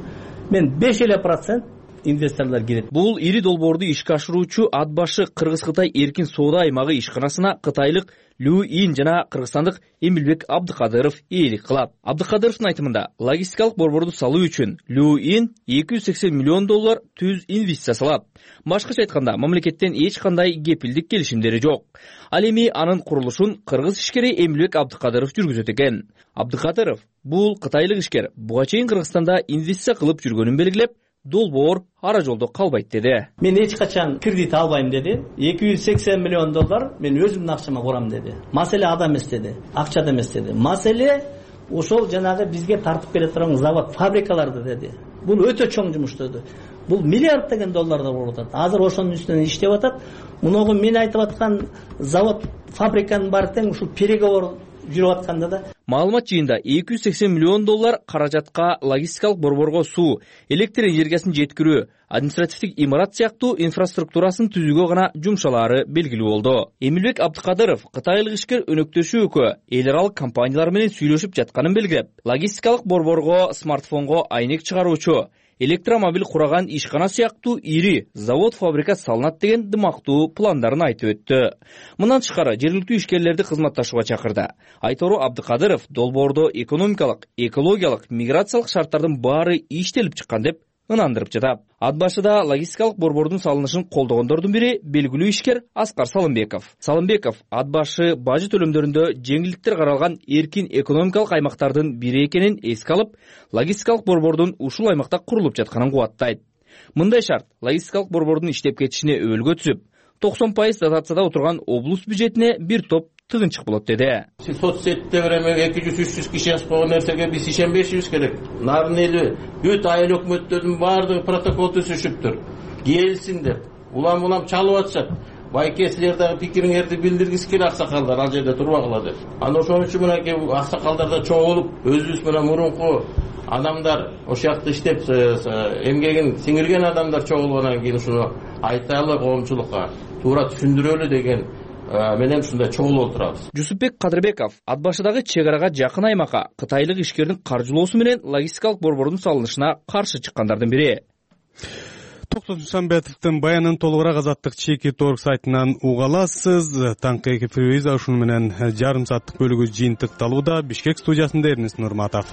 мен 5% инвесторлор кирет. Бул ири долбоорду ишке ашыруучу Ат башы Кыргыз-Кытай эркин соода аймагы ишканасына кытайлык Лю Ин жана кыргызстандык Эмилбек Абдыкадыров ээлик кылат. Абдыкадыровдун айтымында, логистикалык борборду салуу үчүн Лю Ин $280 миллион түз инвестиция салат. Башкача айтканда, мамлекеттен эч кандай кепилдик келишимдери жок. Ал эми анын курулушун кыргыз ишкери Эмилбек Абдыкадыров жүргүзөт экен. Абдыкадыров бул кытайлык ишкер буга чейин Кыргызстанда инвестиция кылып жүргөнүн белгилеп, долбоор ара жолдо калбайт деди. Мен эч качан кредит албайм деди. $280 миллион мен өзүмдүн акчама курам деди. Маселе ада эмес деди, акчада эмес деди. Маселе ошол жанагы бизге тартып бере турган завод, фабрикаларды деди. Бул өтө чоң жумуш деди. Бул миллиард деген долларда болуп атат. Азыр ошонун үстүнөн иштеп атат. Мунугу мен айтып аткан завод, фабриканын баары тең ушул переговор жүрүп атканда да. Маалымат жыйында $280 миллион каражатка логистикалык борборго суу, электр энергиясын жеткирүү, административдик имарат сыяктуу инфраструктурасын түзүүгө гана жумшалаары белгилүү болду. Эмилбек Абдыкадыров кытайлык ишкер өнөктөшү өкө эл аралык компаниялар менен сүйлөшүп жатканын белгилеп, логистикалык борборго смартфонго айнек чыгаруучу, электромобиль кураган ишкана сыяктуу ири завод, фабрика салынат деген дымактуу пландарын айтып өттү. Мындан тышкары жергиликтүү ишкерлерди кызматташууга чакырды. Айтору Абдыкадыров долбоордо экономикалык, экологиялык, миграциялык шарттардын баары иштелип чыккан деп ынандырып жатат. Ат башыда логистикалык борбордун салынышын колдогондордун бири белгилүү ишкер Аскар Салымбеков. Салымбеков Ат башы бажы төлөмдөрүндө жеңилдиктер каралган эркин экономикалык аймактардын бири экенин эске алып, логистикалык борбордун ушул аймакта курулуп жатканын кубаттайт. Мындай шарт логистикалык борбордун иштеп кетишине өбөлгө түзүп, 90% дотацияда отурган облус бюджетине бир топ тыгынчык болот деди. Соц сетте эме 200-300 киши жазып койгон нерсеге биз ишенбешибиз керек. Нарын эли бүт айыл өкмөттөрдүн баардыгы протокол түзүшүптүр. Келсин деп. Улам чалып атышат. Байке силер дагы пикириңерди билдиргиз керек аксакалдар ал жерде турбагыла деп. Аны ошон үчүн мынакей аксакалдарда чогулуп өзүбүз менен мурунку адамдар ошол жакта иштеп эмгегин сиңирген адамдар чогулгандан кийин ушуну айталы коомчулукка туура түшүндүрөлү деген менен ушундай чогулуп отурабыз. Жусупбек Кадырбеков ат башыдагы чек арага жакын аймакка кытайлык ишкердин каржылоосу менен логистикалык борбордун салынышына каршы чыккандардын бири. Токтос Мусамбетовдун баянын толугураак Азаттык Чеки.org сайтынан уга аласыз. Таңкы эфирибиз ушуну менен жарым сааттык бөлүгү жыйынтыкталууда. Бишкек студиясында Эрнест Нурматов.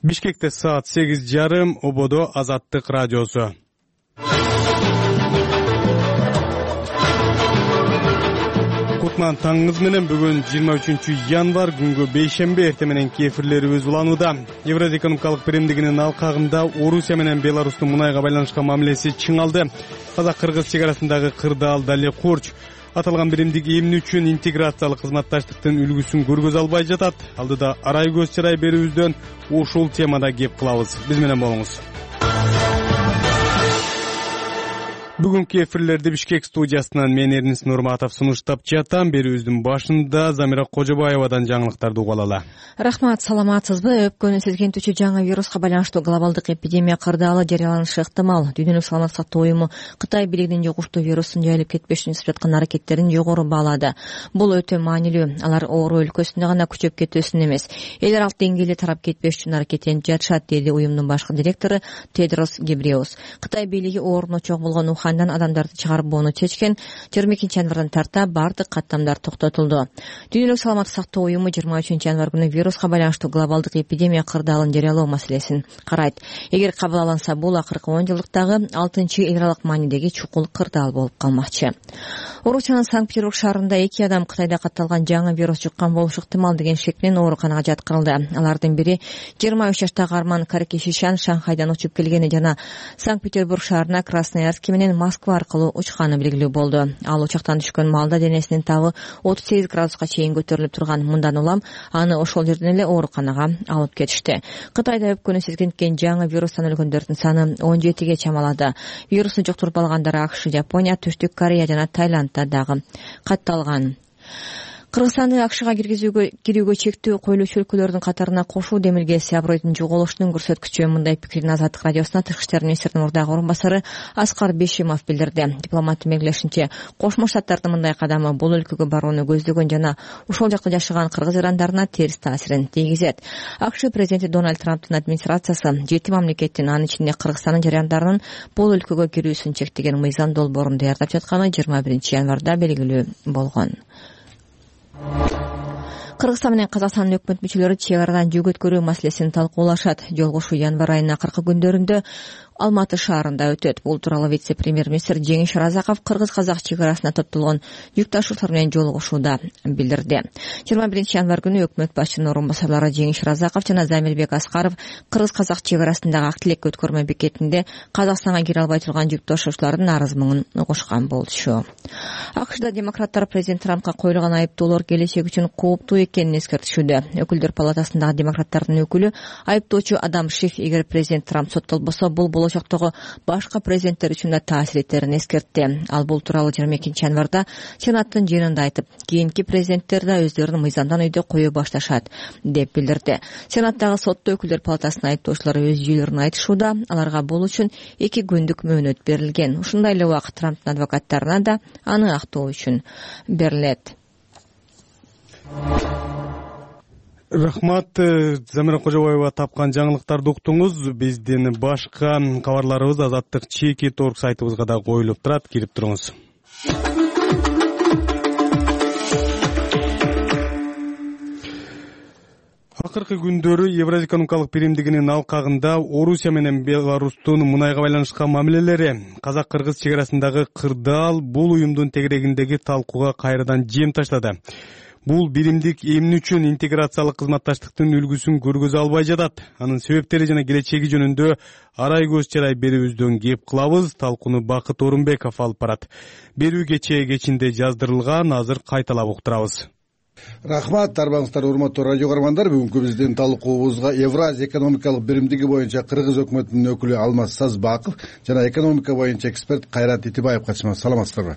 Бишкекте саат 8:30, ободо Азаттык радиосу. Кутман таңыңыз менен бүгүн 23-январ күнгө бейшембе эртең мененки эфирлерибиз уланууда. Евразия экономикалык биримдигинин алкагында Орусия менен Беларустун мунайга байланышкан мамилеси чыңалды. Казак-кыргыз чек арасындагы кырдаал дале курч. Аталган биримдик эмне үчүн интеграциялык кызматташтыктын үлгүсүн көргөзө албай жатат? Алдыда арай көз чырай берүүбүздөн ушул темада кеп кылабыз. Биз менен болуңуз. Бүгүнкү эфирлерди Бишкек студиясынан мен Эрнест Нурматов сунуштап жатам. Берүүбүздүн башында Замира Кожобаевадан жаңылыктарды уга алалы. Рахмат, саламатсызбы? Өпкөнү сезгентүүчү жаңы вируска байланыштуу глобалдык эпидемия кырдаалы жарыяланышы ыктымал. Дүйнөлүк саламаттык сактоо уюму Кытай бийлигинин жугуштуу вирустун жайылып кетпеш үчүн жасап жаткан аракеттерин жогору баалады. Бул өтө маанилүү. Алар оору өлкөсүндө гана күчөп кетүүсүн эмес, эл аралык деңгээлде тарап кетпеш үчүн аракеттенип жатышат, деди уюмдун башкы директору Тедрос Гебреус. Кытай бийлиги ооруна чок болгон Ухандан адамдарды чыгарбоону чечкен. 22-январдан тарта бардык каттамдар токтотулду. Дүйнөлүк саламаттык сактоо уюму 23-январ күнү вируска байланыштуу глобалдык эпидемия кырдаалын жарыялоо маселесин карайт. Эгер кабыл алынса, бул акыркы 10 жылдыктагы 6-эл аралык маанидеги чукул кырдаал болуп калмакчы. Орусиянын Санкт-Петербург шаарында 2 адам Кытайда катталган жаңы вирус жуккан болушу ыктымал деген шек менен ооруканага жаткырылды. Алардын бири 23 жаштагы Арман Каракешишан Шанхайдан учуп келгени жана Санкт-Петербург шаарына Красноярск менен Москва аркылуу учканы белгилүү болду. Ал учактан түшкөн маалда денесинин табы 38 градуска чейин көтөрүлүп турган. Мындан улам аны ошол жерден эле ооруканага алып кетишти. Кытайда өпкөнү сезгенткен жаңы вирустан өлгөндөрдүн саны 17ге чамалады. Вирусту жуктуруп алгандар АКШ, Жапония, Түштүк Корея жана Таиландда дагы катталган. Кыргызстанды АКШга кирүүгө чектөө коюлуучу өлкөлөрдүн катарына кошуу демилгеси абройдун жоголушунун көрсөткүчү. Мындай пикирин Азаттык радиосуна Тышкы иштер министринин мурдагы орун басары Аскар Бешимов билдирди. Дипломаттын белгилешинче, Кошмо Штаттардын мындай кадамы бул өлкөгө барууну көздөгөн жана ушул жакта жашаган кыргыз ирандарына терс таасирин тийгизет. АКШ президенти Дональд Трамптын администрациясы 7 мамлекеттин, анын ичинде Кыргызстандын жарандарынын бул өлкөгө кирүүсүн чектеген мыйзам долбоорун даярдап жатканы 21-январда белгилүү болгон. Кыргызстан менен Казакстандын өкмөт мүчөлөрү чек арадан жүк өткөрүү маселесин талкуулашат. Жолугушуу январ айынын акыркы күндөрүндө Алматы шаарында өтөт. Бул тууралуу вице-премьер-министр Жеңиш Разаков кыргыз-казак чек арасына топтолгон жүк ташуучулар менен жолугушууда билдирди. 21-январ күнү өкмөт башчынын орун басарлары Жеңиш Разаков жана Замирбек Аскаров кыргыз-казак чек арасындагы ак тилек өткөрмө бекетинде Казакстанга кире албай турган жүк ташуучулардын арыз-муңун угушкан болчу. АКШда демократтар президент Трампка коюлган айыптоолор келечек үчүн кооптуу экенин эскертишүүдө. Өкүлдөр палатасындагы демократтардын өкүлү айыптоочу Адам Шиф, эгер президент Трамп соттолбосо, бул болочоктогу башка президенттер үчүн да таасир этерин эскертти. Ал бул тууралуу 22-январда Сенаттын жыйынында айтып, кийинки президенттер да өздөрүн мыйзамдан өйдө кое башташат деп билдирди. Сенаттагы сотто өкүлдөр палатасынын айыптоочулары өз жүйөлөрүн айтышууда. Аларга бул үчүн 2 күндүк мөөнөт берилген. Ушундай эле убакыт Трамптын адвокаттарына да аны актоо үчүн берилет. Рахмат, Замира Кожобаева тапкан жаңылыктарды уктуңуз. Биздин башка кабарларыбыз Азаттык Чеки.org сайтыбызга да коюлуп турат. Кирип туруңуз. Акыркы күндөрү Евразия экономикалык биримдигинин алкагында Орусия менен Беларустун мунайга байланышкан мамилелери, казак-кыргыз чек арасындагы кырдаал бул уюмдун тегерегиндеги талкууга кайрадан жем таштады. Бул биримдик эмне үчүн интеграциялык кызматташтыктын үлгүсүн көргөзө албай жатат, анын себептери жана келечеги жөнүндө арай көз чарай берүүбүздөн кеп кылабыз. Талкууну Бакыт Орунбеков алып барат. Берүү кечинде жаздырылган, азыр кайталап уктурабыз. Рахмат, арбаңыздар урматтуу радио көрөрмандар. Бүгүнкү биздин талкуубузга Евразия экономикалык биримдиги боюнча Кыргыз өкмөтүнүн өкүлү Алмаз Сазбаков жана экономика боюнча эксперт Кайрат Итибаев катышмакчы. Саламатсыздарбы?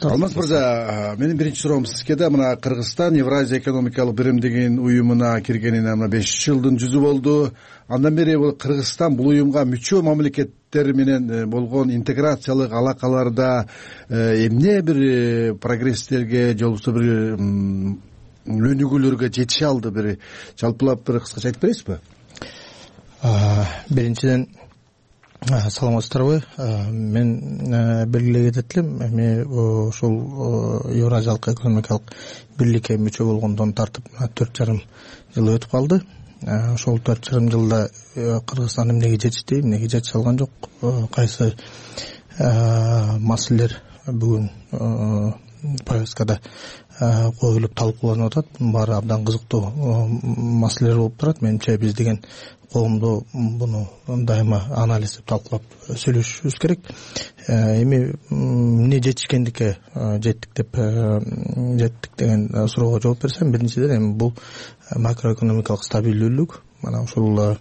Алмаз мырза, менин биринчи суроом сизге да. Мына Кыргызстан Евразия экономикалык биримдигинин уюмуна киргенине мына 5 жылдын жүзү болду. Андан бери Кыргызстан бул уюмга мүчө мамлекеттер менен болгон интеграциялык алакаларда эмне бир прогресстерге же болбосо бир өнүгүүлөргө жетише алды, бир жалпылап бир кыскача айтып бересизби? Биринчиден саламатсыздарбы? Мен белгилей кетет элем, эми ушул Евразиялык экономикалык бирликке мүчө болгондон тартып 4,5 жыл өтүп калды. Ошол 4,5 жылда Кыргызстан эмнеге жетишти, эмнеге жетише алган жок, кайсы маселелер бүгүн повесткада коюлуп талкууланып атат. Бунун баары абдан кызыктуу маселелер болуп турат. Менимче биз деген коомдо буну дайыма анализдеп талкуулап сүйлөшүшүбүз керек. Эми эмне жетишкендикке жеттик деген суроого жооп берсем, биринчиден эми бул макроэкономикалык стабилдүүлүк. Мана ушул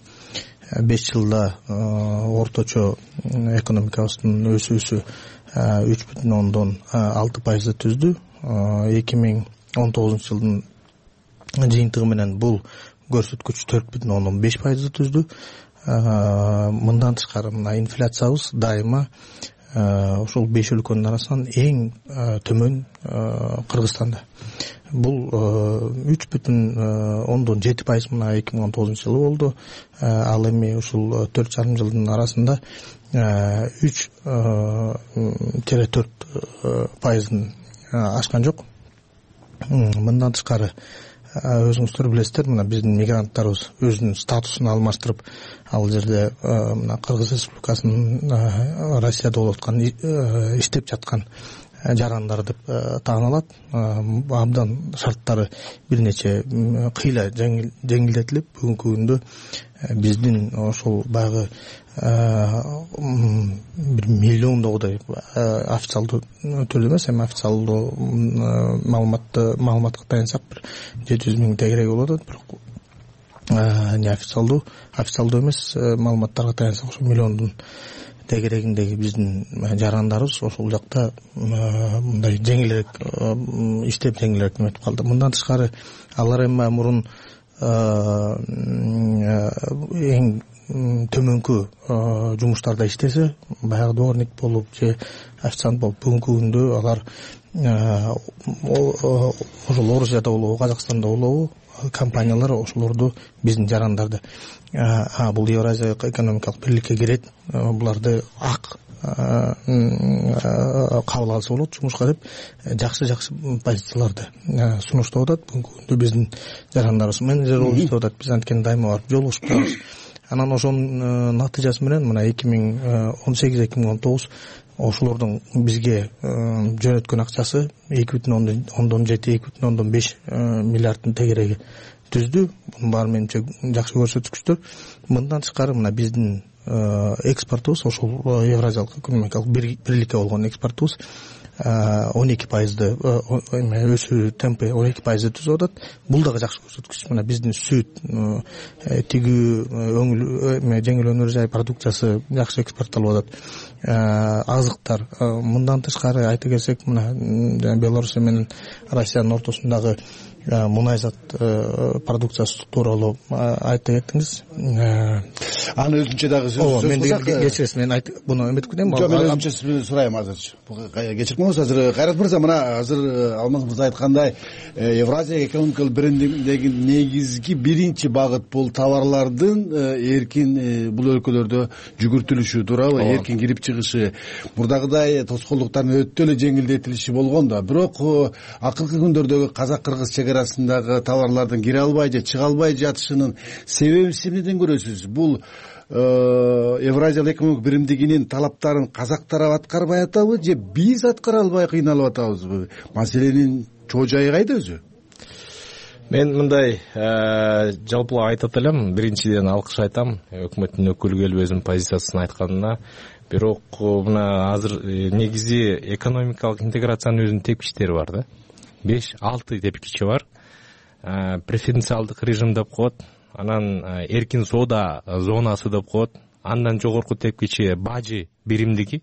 5 жылда орточо экономикабыздын өсүүсү 3,6% түздү. 2019 жылдын жыйынтыгы менен бул көрсөткүч 4,5% түздү. Мындан тышкары мына инфляциябыз дайыма ошол 5 өлкөнүн арасынан эң төмөн Кыргызстанда. Бул 3,7% мына 2019 жылы болду. Ал эми ушул 4,5 жылдын арасында 3,4% ашкан жок. Мындан тышкары өзүңүздөр билесиздер, мына биздин мигранттарыбыз өзүнүн статусун алмаштырып, ал жерде мына Кыргыз Республикасынын Россияда болуп аткан иштеп жаткан жарандар деп тааналат. Абдан шарттары бир нече кыйла жеңилдетилип, бүгүнкү күндө биздин ошол баягы бир миллиондогудай официалдуу түрдө эмес, эми официалдуу маалыматка таянсак бир 700 000 тегереги болуп атат. Бирок официалдуу эмес маалыматтарга таянсак ошо миллиондун тегерегиндеги биздин жарандарыбыз ошол жакта мындай жеңилирээк иштеп жеңилирээк өтүп калды. Мындан тышкары алар эми мурун эң төмөнкү жумуштарда иштесе, баягы дворник болуп же официант болуп, бүгүнкү күндө алар ошол Орусияда болобу, Казакстанда болобу, компаниялар ошолорду биздин жарандарды бул Евразия экономикалык бирликке кирет, буларды ак кабыл алса болот жумушка деп жакшы позицияларды сунуштап атат. Бүгүнкү күндө биздин жарандарыбыз менеджер болуп иштеп атат. Биз анткени дайыма барып жолугушуп турабыз. Анан ошонун натыйжасы менен мына 2018-2019 ошолордун бизге жөнөткөн акчасы 2,7-2,5 миллиарддын тегереги түздү. Бунун баары менимче жакшы көрсөткүчтөр. Мындан тышкары мына биздин экспортубуз, ошол Евразиялык экономикалык бирликке болгон экспортубуз 12% өсүү темпи 12% түзүп атат. Бул дагы жакшы көрсөткүч. Мына биздин сүт, тигүү, жеңил өнөр жай продукциясы жакшы экспорттолуп атат. Азыктар. Мындан тышкары айта келсек, мына Белоруссия менен Россиянын ортосундагы мунайзат продукциясы тууралуу айта кеттиңиз. Аны өзүнчө дагы кечиресиз, мен буну эметип кетем. Жок, мен өзүнчө сурайм азырчы. Кечирип коңуз. Азыр Кайрат мырза, мына азыр Алмаз мырза айткандай, Евразия экономикалык биримдигиндеги негизги биринчи багыт бул товарлардын эркин бул өлкөлөрдө жүгүртүлүшү туурабы, эркин кирип чыгышы, мурдагыдай тоскоолдуктардын өтө эле жеңилдетилиши болгон да. Бирок акыркы күндөрдөгү казак-кыргыз чегарасындагы товарлардын кире албай же чыга албай жатышынын себебин эмнеден көрөсүз? Бул Евразиялык экономикалык биримдигинин талаптарын казактар аткарбай атабы же биз аткара албай кыйналып атабызбы? Маселенин чоо жайы кайда өзү? мен мындай жалпылап айтат элем. Биринчиден алкыш айтам өкмөттүн өкүлү келип өзүнүн позициясын айтканына. Бирок мына азыр негизи экономикалык интеграциянын өзүнүн тепкичтери бар да. 5-6 тепкичи бар. Преференциалдык режим деп коет, анан эркин соода зонасы деп коет, андан жогорку тепкичи бажы биримдиги,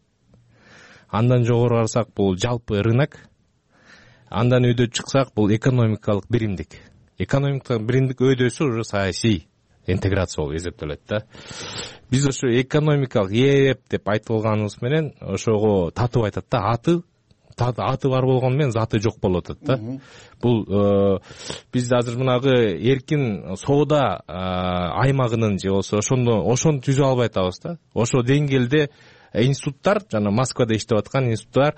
андан жогору барсак бул жалпы рынок, андан өйдө чыксак бул экономикалык биримдик. Экономикалык биримдик өйдөсү уже саясий интеграция болуп эсептелет да. Биз ошо экономикалык ээп деп айтып алганыбыз менен ошого татып айтат да, аты бар болгону менен заты жок болуп атат да. Бул биз азыр мынагы эркин соода аймагынын же болсо ошону түзүп албай атабыз да. Ошо деңгээлде институттар, жана Москвада иштеп аткан институттар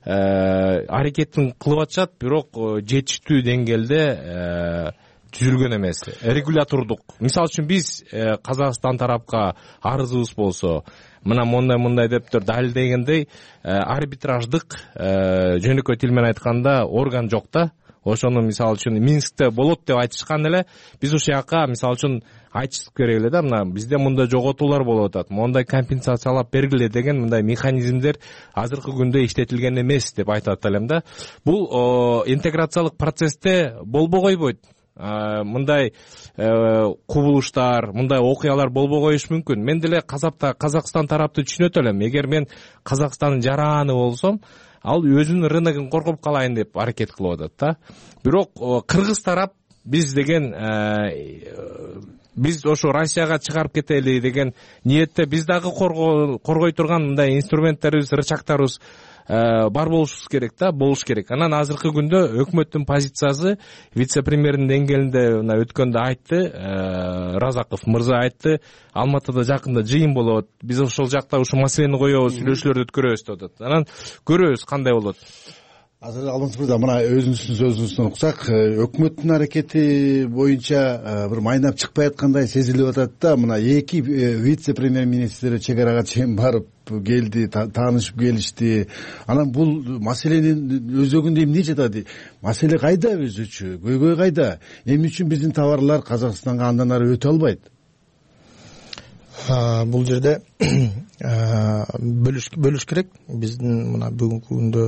аракетин кылып атышат, бирок жетиштүү деңгээлде түзүлгөн эмес. Регулятордук. Мисалы үчүн биз Казакстан тарапка арызыбыз болсо, мына мындай деп далилдегендей арбитраждык жөнөкөй тил менен айтканда орган жок да. Ошону мисалы үчүн Минскте болот деп айтышкан эле, биз ошол жака мисалы үчүн айтышып керек эле да, мына бизде мындай жоготуулар болуп атат, мондай компенсациялап бергиле деген мындай механизмдер азыркы күндө иштетилген эмес деп айтат элем да. Бул интеграциялык процессте болбой койбойт. Мындай кубулуштар, мындай окуялар болбой коюшу мүмкүн. Мен деле Казакстан тарапты түшүнөт элем. Эгер мен Казакстандын жараны болсом, ал өзүнүн рыногун коргоп калайын деп аракет кылып атат да. Бирок кыргыз тарап биз деген биз ошо Россияга чыгарып кетели деген ниетте биз дагы коргой турган мындай инструменттерибиз, рычагдарыбыз бар болушубуз керек да, болуш керек. Анан азыркы күндө өкмөттүн позициясы вице-премьердин деңгээлинде мына өткөндө айтты, Разаков мырза айтты, Алматыда жакында жыйын болот, биз ошол жакта ушул маселени коебуз, сүйлөшүүлөрдү өткөрөбүз деп атат. Анан көрөбүз кандай болот. Азыр Алмаз мырза, мына өзүңүздүн сөзүңүздөн уксак, өкмөттүн аракети боюнча бир майнап чыкпай аткандай сезилип атат да. Мына эки вице-премьер-министр чек арага чейин барып келди, таанышып келишти. Анан бул маселенин өзөгүндө эмне жатат? Маселе кайда өзүчү? Көйгөй кайда? Эмне үчүн биздин товарлар Казакстанга андан ары өтө албайт? Бул жерде бөлүш керек. Биздин мына бүгүнкү күндө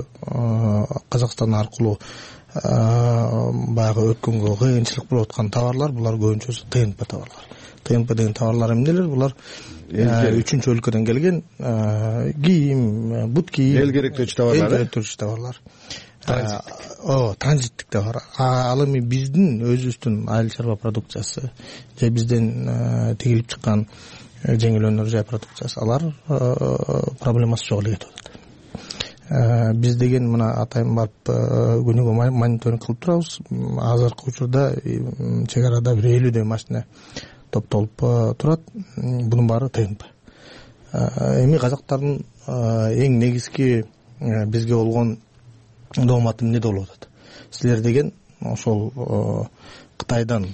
Казакстан аркылуу баягы өткөнгө кыйынчылык болуп аткан товарлар, булар көбүнчөсү ТНП товарлар. ТНП деген товарлар эмнелер? Булар үчүнчү өлкөдөн келген кийим, бут кийим, эл керектөөчү товарлар. Эл керектөөчү товарлар. Транзиттик товар. Ал эми биздин өзүбүздүн айыл чарба продукциясы же бизден тигилип чыккан жеңил өнөр жай продукциясы, алар проблемасы жок эле кетип атат. Биз деген мына атайын барып күнүгө мониторинг кылып турабыз. Азыркы учурда чек арада бир 50 машина топтолуп турат. Бунун баары ТНП. Эми казактардын эң негизги бизге болгон дооматы эмнеде болуп атат? Силер деген ошол Кытайдан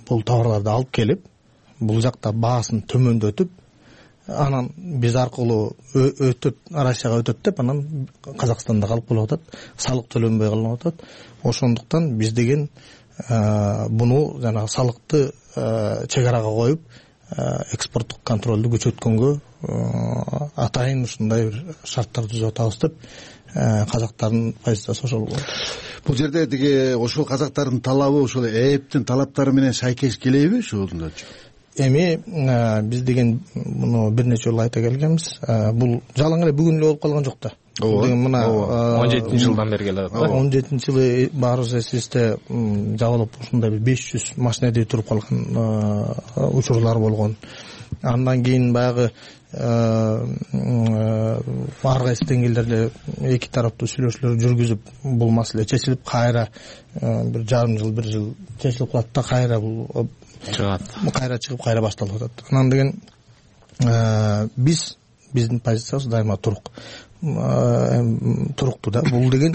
бул товарларды алып келип, бул жакта баасын төмөндөтүп, анан биз аркылуу өтөт, Россияга өтөт деп, анан Казакстанда калып калып атат, салык төлөнбөй калып атат. Ошондуктан биз деген буну жана салыкты чек арага коюп, экспорттук контролду күчөткөнгө атайын ушундай бир шарттар түзүп атабыз деп казактардын позициясы ошол болот. Бул жерде тиги ошол казактардын талабы ошол ээптин талаптары менен шайкеш келеби ушулдачы? Эми биз деген муну бир нече жолу айта келгенбиз. Бул жалаң эле бүгүн эле болуп калган жок да. Деген мына 17-жылдан бери келет. 17-жылы баарыбыз эсибизде жабылып ушундай бир 500 машинеде туруп калган учурлар болгон. Андан кийин баягы ар кайсы деңгээлдерде эки тараптуу сүйлөшүүлөр жүргүзүп, бул маселе чечилип, кайра бир жарым жыл, бир жыл чечилип калат да, кайра бул чыгат. Кайра чыгып, кайра башталып атат. Анан деген биздин позициябыз дайыма туруктуу да. Бул деген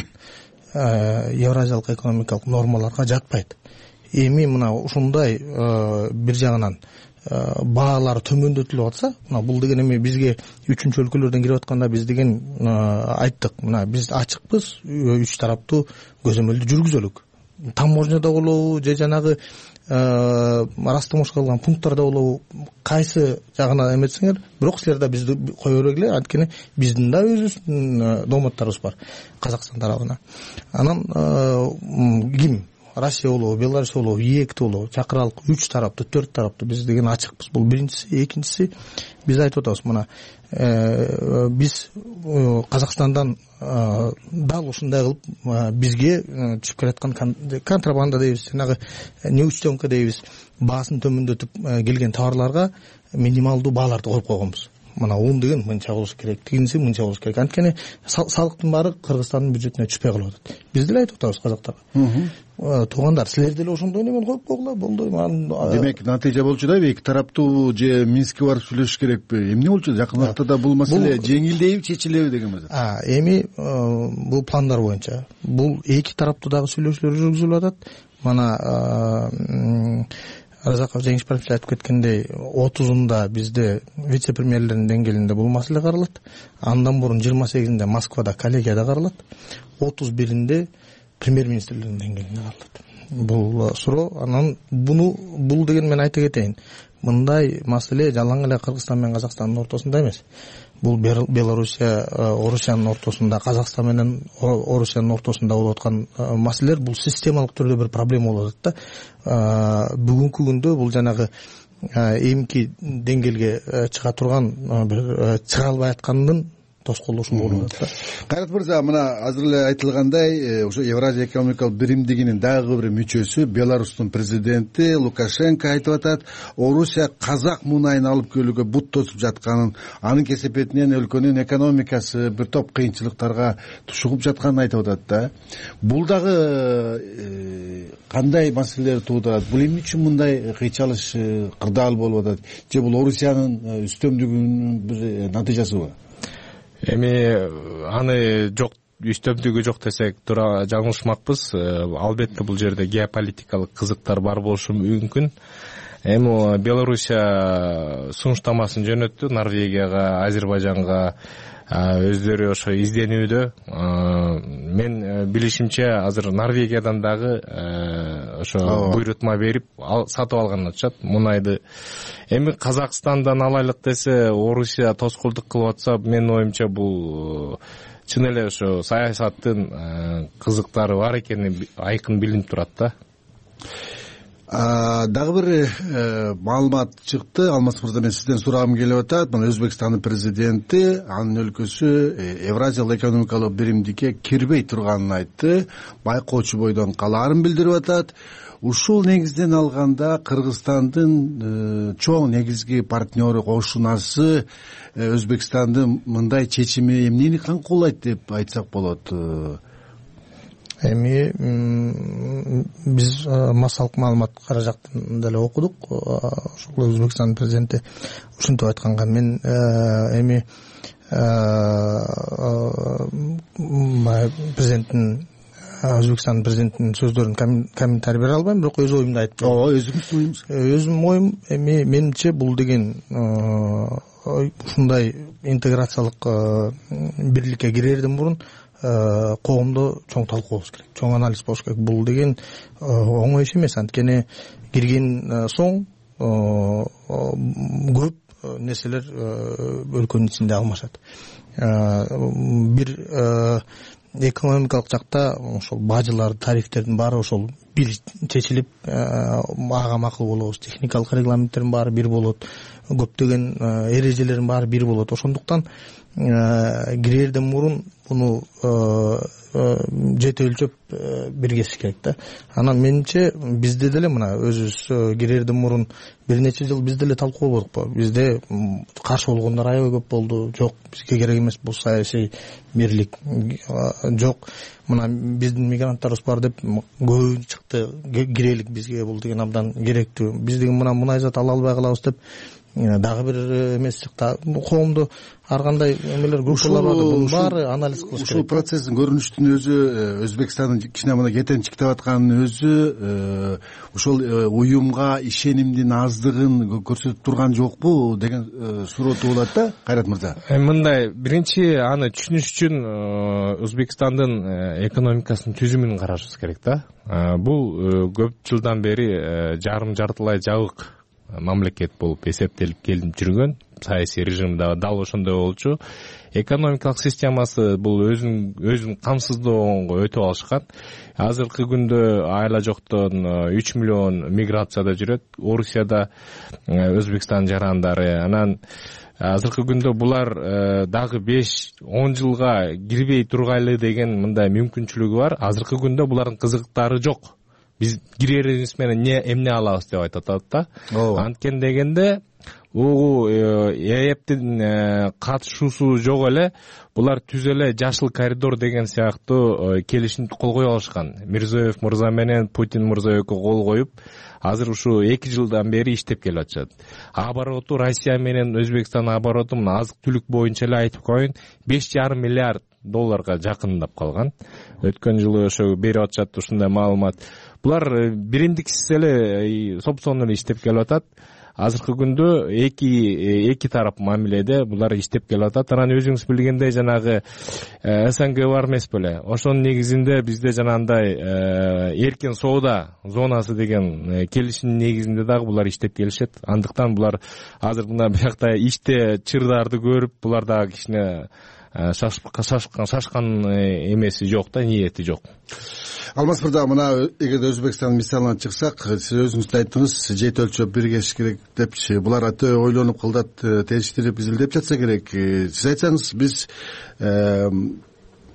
евразиялык экономикалык нормаларга жатпайт. Эми мына ушундай бир жагынан баалар төмөндөтүлүп атса, мына бул деген эми бизге үчүнчү өлкөлөрдөн кирип атканда биз деген айттык, мына биз ачыкпыз, үч тараптуу көзөмөлдү жүргүзөлүк. таможняда болобу же жанагы растамош кылган пункттарда болобу, кайсы жагына эметсеңер, бирок силер да бизди кое бергиле, анткени биздин да өзүбүздүн дооматтарыбыз бар Казакстан тарабына. Анан ким Россия болобу, Беларусь болобу, ЕЭК болобу чакыралык 3 тараптуу, 4 тараптуу биз деген ачыкпыз. Бул биринчиси. Экинчиси, биз айтып атабыз, мына биз Казакстандан дал ушундай кылып бизге түшүп келаткан контрабанда дейбиз, жанагы неучтенка дейбиз, баасын төмөндөтүп келген товарларга минималдуу бааларды коюп койгонбуз. Мына ун деген мынча болуш керек, тигинси мынча болуш керек. Анткени салыктын баары Кыргызстандын бюджетине түшпөй калып атат. Биз деле айтып атабыз казактарга. Туугандар, силер деле ошондой немен коюп койгула, болду. Демек, натыйжа болчу да, эки тараптуу же Минскке барып сүйлөшүш керекпи? Эмне болчу? Жакын убакта бул маселе жеңилдейби, чечилеби деген маселе. Эми бул пландар боюнча бул эки тараптуу дагы сүйлөшүүлөр жүргүзүлүп атат. Мана Разаков Жеңишбаевич айтып кеткендей, 30-унда бизде вице-премьерлердин деңгээлинде бул маселе каралат. Андан мурун 28-inde Москвада коллегияда каралат. 31-inde премьер-министрлердин деңгээлинде каралат. Бул суроо. Анан бул деген мен айта кетейин. Мындай маселе жалаң эле Кыргызстан менен Казакстандын ортосунда эмес. Бул Белоруссия, Орусиянын ортосунда, Казакстан менен Орусиянын ортосунда болуп аткан маселелер, бул системалык түрдө бир проблема болуп атат да. Бүгүнкү күндө бул жанагы эмки деңгээлге чыга турган бир чыга албай аткандын тоскоолдошу болуп атат да. Кайрат мырза, мына азыр эле айтылгандай, ошо Евразия экономикалык биримдигинин дагы бир мүчөсү, Беларустун президенти Лукашенко айтып атат, Орусия казак мунайын алып келүүгө бут тосуп жатканын, анын кесепетинен өлкөнүн экономикасы бир топ кыйынчылыктарга тушугуп жатканын айтып атат да. Бул дагы кандай маселелер туудурат? Бул эмне үчүн мындай кыйчалыш, кырдаал болуп атат? Же бул Орусиянын үстөмдүгүнүн бир натыйжасыбы? Эми аны жок, үстөмдүгү жок десек туура жаңылышмакпыз. Албетте бул жерде геополитикалык кызыктар бар болушу мүмкүн. Эми Белоруссия сунуштамасын жөнөттү Норвегияга, Азербайжанга, өздөрү ошо изденүүдө. Мен билишимче азыр Норвегиядан дагы ошо буйрутма берип сатып алганын атышат мунайды. Эми Казакстандан алайлык десе, Орусия тоскоолдук кылып атса, менин оюмча бул чын эле ошо саясаттын кызыктары бар экени айкын билинип турат да. Дагы бир маалымат чыкты. Алмаз мырза, мен сизден сурагым келип атат. Мына Өзбекстандын президенти анын өлкөсү Евразиялык экономикалык биримдикке кирбей турганын айтты. Байкоочу бойдон калаарын билдирип атат. Ушул негизден алганда Кыргызстандын чоң негизги партнеру, кошунасы Өзбекстандын мындай чечими эмнени камкуулайт деп айтсак болот? Эми биз массалык маалымат кара жактан деле окудук. Ошол Өзбекстандын президенти ушинтип айтканга мен эми президенттин Өзбекстандын президентинин сөздөрүн комментарий бере албайм, бирок өз оюмду айтып берем. Өзүңүздүн оюңуз? Өзүмдүн оюм эми менимче бул деген ушундай интеграциялык бирликке кирерден мурун коомдо чоң талкуу болуш керек, чоң анализ болуш керек. Бул деген оңой иш эмес, анткени кирген соң көп нерселер өлкөнүн ичинде алмашат. Бир экономикалык жакта ошол бажылар, тарифтердин баары ошол бир чечилип, ага макул болобуз. Техникалык регламенттердин баары бир болот, көптөгөн эрежелердин баары бир болот. Ошондуктан кирерден мурун буну жете өлчөп биргесиш керек да. Анан менимче бизде деле мына өзүбүз кирерден мурун бир нече жыл бизде деле талкуу болдукпу. Бизде каршы болгондор аябай көп болду. Жок, бизге керек эмес бул саясий бирлик. Жок, мына биздин мигранттарыбыз бар деп көбү чыкты, кирелик бизге, бул деген абдан керектүү. Биз деген мына мунай зат ала албай калабыз деп дагы бир эмес чыкты. Коомдо ар кандай эмелер группалар бар, бунун баары анализ кылыш керек. Ушул процесстин көрүнүштүн өзү, Өзбекстандын кичине мына кетенчиктеп атканын өзү ошол уюмга ишенимдин аздыгын көрсөтүп турган жокпу деген суроо туулат да, Кайрат мырза. Мындай, биринчи аны түшүнүш үчүн Өзбекстандын экономикасынын түзүмүн карашыбыз керек да. Бул көп жылдан бери жартылай жабык мамлекет болуп эсептелип келип жүргөн, саясий режим да дал ошондой болчу. Экономикалык системасы бул өзүн камсыздоого өтүп алышкан. Азыркы күндө айла жоктон 3 миллион миграцияда жүрөт. Орусияда Өзбекстан жарандары. Анан азыркы күндө булар дагы 5-10 жылга кирбей тургайлы деген мындай мүмкүнчүлүгү бар. Азыркы күндө булардын кызыктары жок. Биз кирерибиз менен эмне алабыз деп айтып атат да. Анткен дегенде ЭЭПтин катышуусу жок эле, булар түз эле жашыл коридор деген сыяктуу келишимди кол кое алышкан. Мирзиёев мырза менен Путин мырза экөө кол коюп, азыр ушу 2 жылдан бери иштеп келип атышат. Обороту Россия менен Өзбекстандын обороту мына азык-түлүк боюнча эле айтып коеюн, 5,5 миллиард долларга жакындап калган. Өткөн жылы ошо берип атышат ушундай маалымат. Булар биримдиксиз эле сопсон эле иштеп келип атат. Азыркы күндө эки тарап мамиледе булар иштеп келип атат. Анан өзүңүз билгендей жанагы СНГ бар эмес беле? Ошонун негизинде бизде жанагындай эркин соода зонасы деген келишимдин негизинде дагы булар иштеп келишет. Андыктан булар азыр мына биякта иште чырдарды көрүп, булар дагы кичине шашкан эмеси жок да, ниети жок. Алмаз мырза, мына эгерде Өзбекстан мисалынан чыксак, сиз өзүңүз да айттыңыз, жет өлчөп биргешиш керек депчи. Булар аты ойлонуп кылдат териштирип изилдеп жатса керек. Сиз айтсаңыз, биз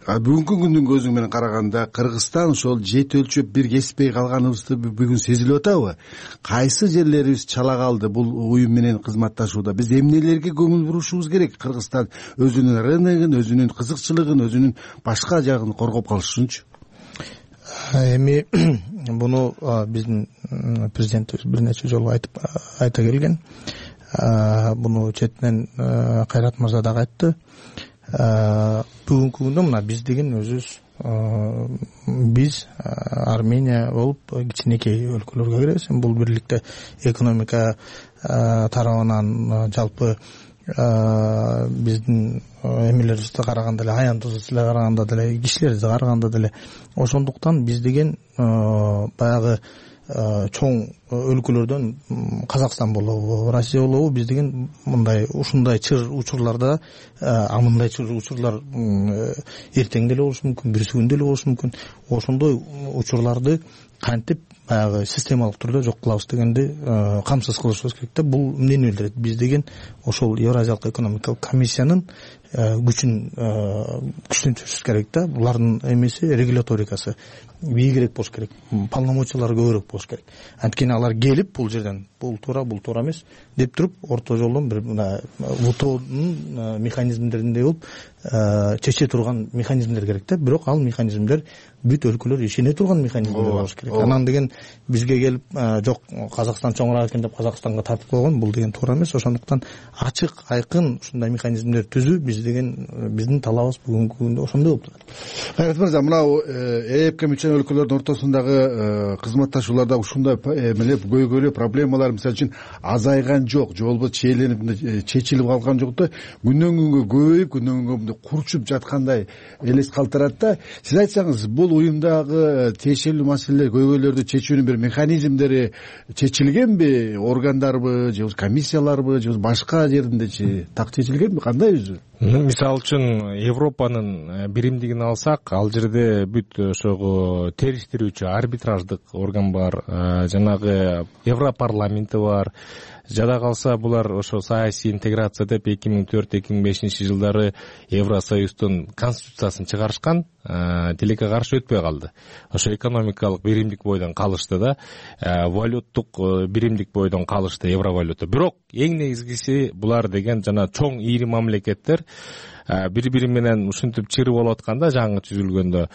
бүгүнкү күндүн көзү менен караганда Кыргызстан ошол жет өлчөп биргешпей калганыбызды бүгүн сезилип атабы? Кайсы жерлерибиз чала калды бул уюм менен кызматташууда? Биз эмнелерге көңүл бурушубуз керек? Кыргызстан өзүнүн рыногун, өзүнүн кызыкчылыгын, өзүнүн башка жагын коргоп калыш үчүнчү? Эми буну биздин президентибиз бир нече жолу айта келген. Буну четинен Кайрат мырза дагы айтты. Бүгүнкү күндө мына биз деген өзүбүз, биз Армения болуп кичинекей өлкөлөргө киребиз. Бул бирликте экономика тарабынан жалпы биздин эмелерибизди караганда эле, аяндуусузду караганда деле, кишилерди караганда деле, ошондуктан биз деген баягы чоң өлкөлөрдөн Казакстан болобу, Россия болобу, биз деген мындай ушундай чыр учурларда, мындай чыр учурлар эртең деле болушу мүмкүн, бүрсү күн деле болушу мүмкүн. Ошондой учурларды кантип баягы системалык түрдө жок кылабыз дегенди камсыз кылышыбыз керек да. Бул эмнени билдирет? Биз деген ошол Евразиялык экономикалык комиссиянын күчтөнтүшүбүз керек да. Булардын эмеси, регуляторикасы бийигирээк болуш керек, полномочиялары көбүрөөк болуш керек. Анткени алар келип бул жерден бул туура эмес деп туруп, орто жолдон бир мына ВТОнун механизмдериндей болуп чече турган механизмдер керек да. Бирок ал механизмдер бүт өлкөлөр ишене турган механизмдер болуш керек. Анан деген бизге келип жок Казакстан чоңураак экен деп Казакстанга тартып койгон, бул деген туура эмес. Ошондуктан ачык, айкын ушундай механизмдер түзүү биздин талабыбыз бүгүнкү күндө ошондой болуп турат. Кайрат мырза, мына ЭЭПке мүчө өлкөлөрдүн ортосундагы кызматташууларда ушундай көйгөйлүү проблемалар мисалы үчүн азайган жок, же болбосо чечилип калган жок да, күндөн күнгө көбөйүп, күндөн күнгө курчуп жаткандай элес калтырат да. Сиз айтсаңыз, бул уюмдагы тиешелүү маселелер, көйгөйлөрдү чечүүнүн бир механизмдери чечилгенби? Органдарбы, же комиссияларбы, же башка жериндечи так чечилгенби? Кандай өзү? Мисалы үчүн Европанын биримдигин алсак, ал жерде бүт ошого териштирүүчү арбитраждык орган бар, жанагы Европарламенти бар. Жада калса булар ошо саясий интеграция деп 2004-2005 жылдары Евросоюздун конституциясын чыгарышкан, тилекке каршы өтпөй калды. Ошо экономикалык биримдик бойдон калышты да, валюттук биримдик бойдон калышты, евровалюта. Бирок эң негизгиси булар деген жана чоң ийри мамлекеттер бири-бири менен ушинтип чыры болуп атканда, жаңы түзүлгөндө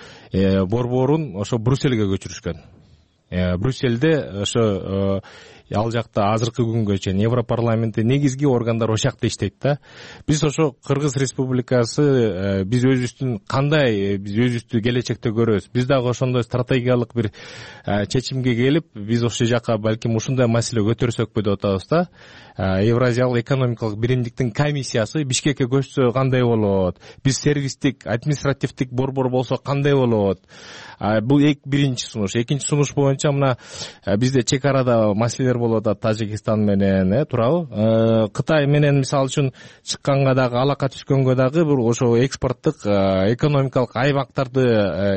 борборун ошо Брюссельге көчүрүшкөн. Брюссельде ошо ал жакта азыркы күнгө чейин Европарламентте негизги органдар ошол жакта иштейт да. Биз ошо Кыргыз Республикасы биз өзүбүздүн кандай биз өзүбүздү келечекте көрөбүз. Биз дагы ошондой стратегиялык бир чечимге келип, биз ошол жака балким ушундай маселе көтөрсөкпү деп атабыз да. Евразиялык экономикалык биримдиктин комиссиясы Бишкекке көчсө кандай болот? Биз сервистик, административдик борбор болсо кандай болот? Бул биринчи сунуш. Экинчи сунуш боюнча мына бизде чек арада маселелер болуп атат Тажикстан менен, туурабы? Кытай менен мисалы үчүн чыкканга дагы, алака түшкөнгө дагы бир ошо экспорттук экономикалык аймактарды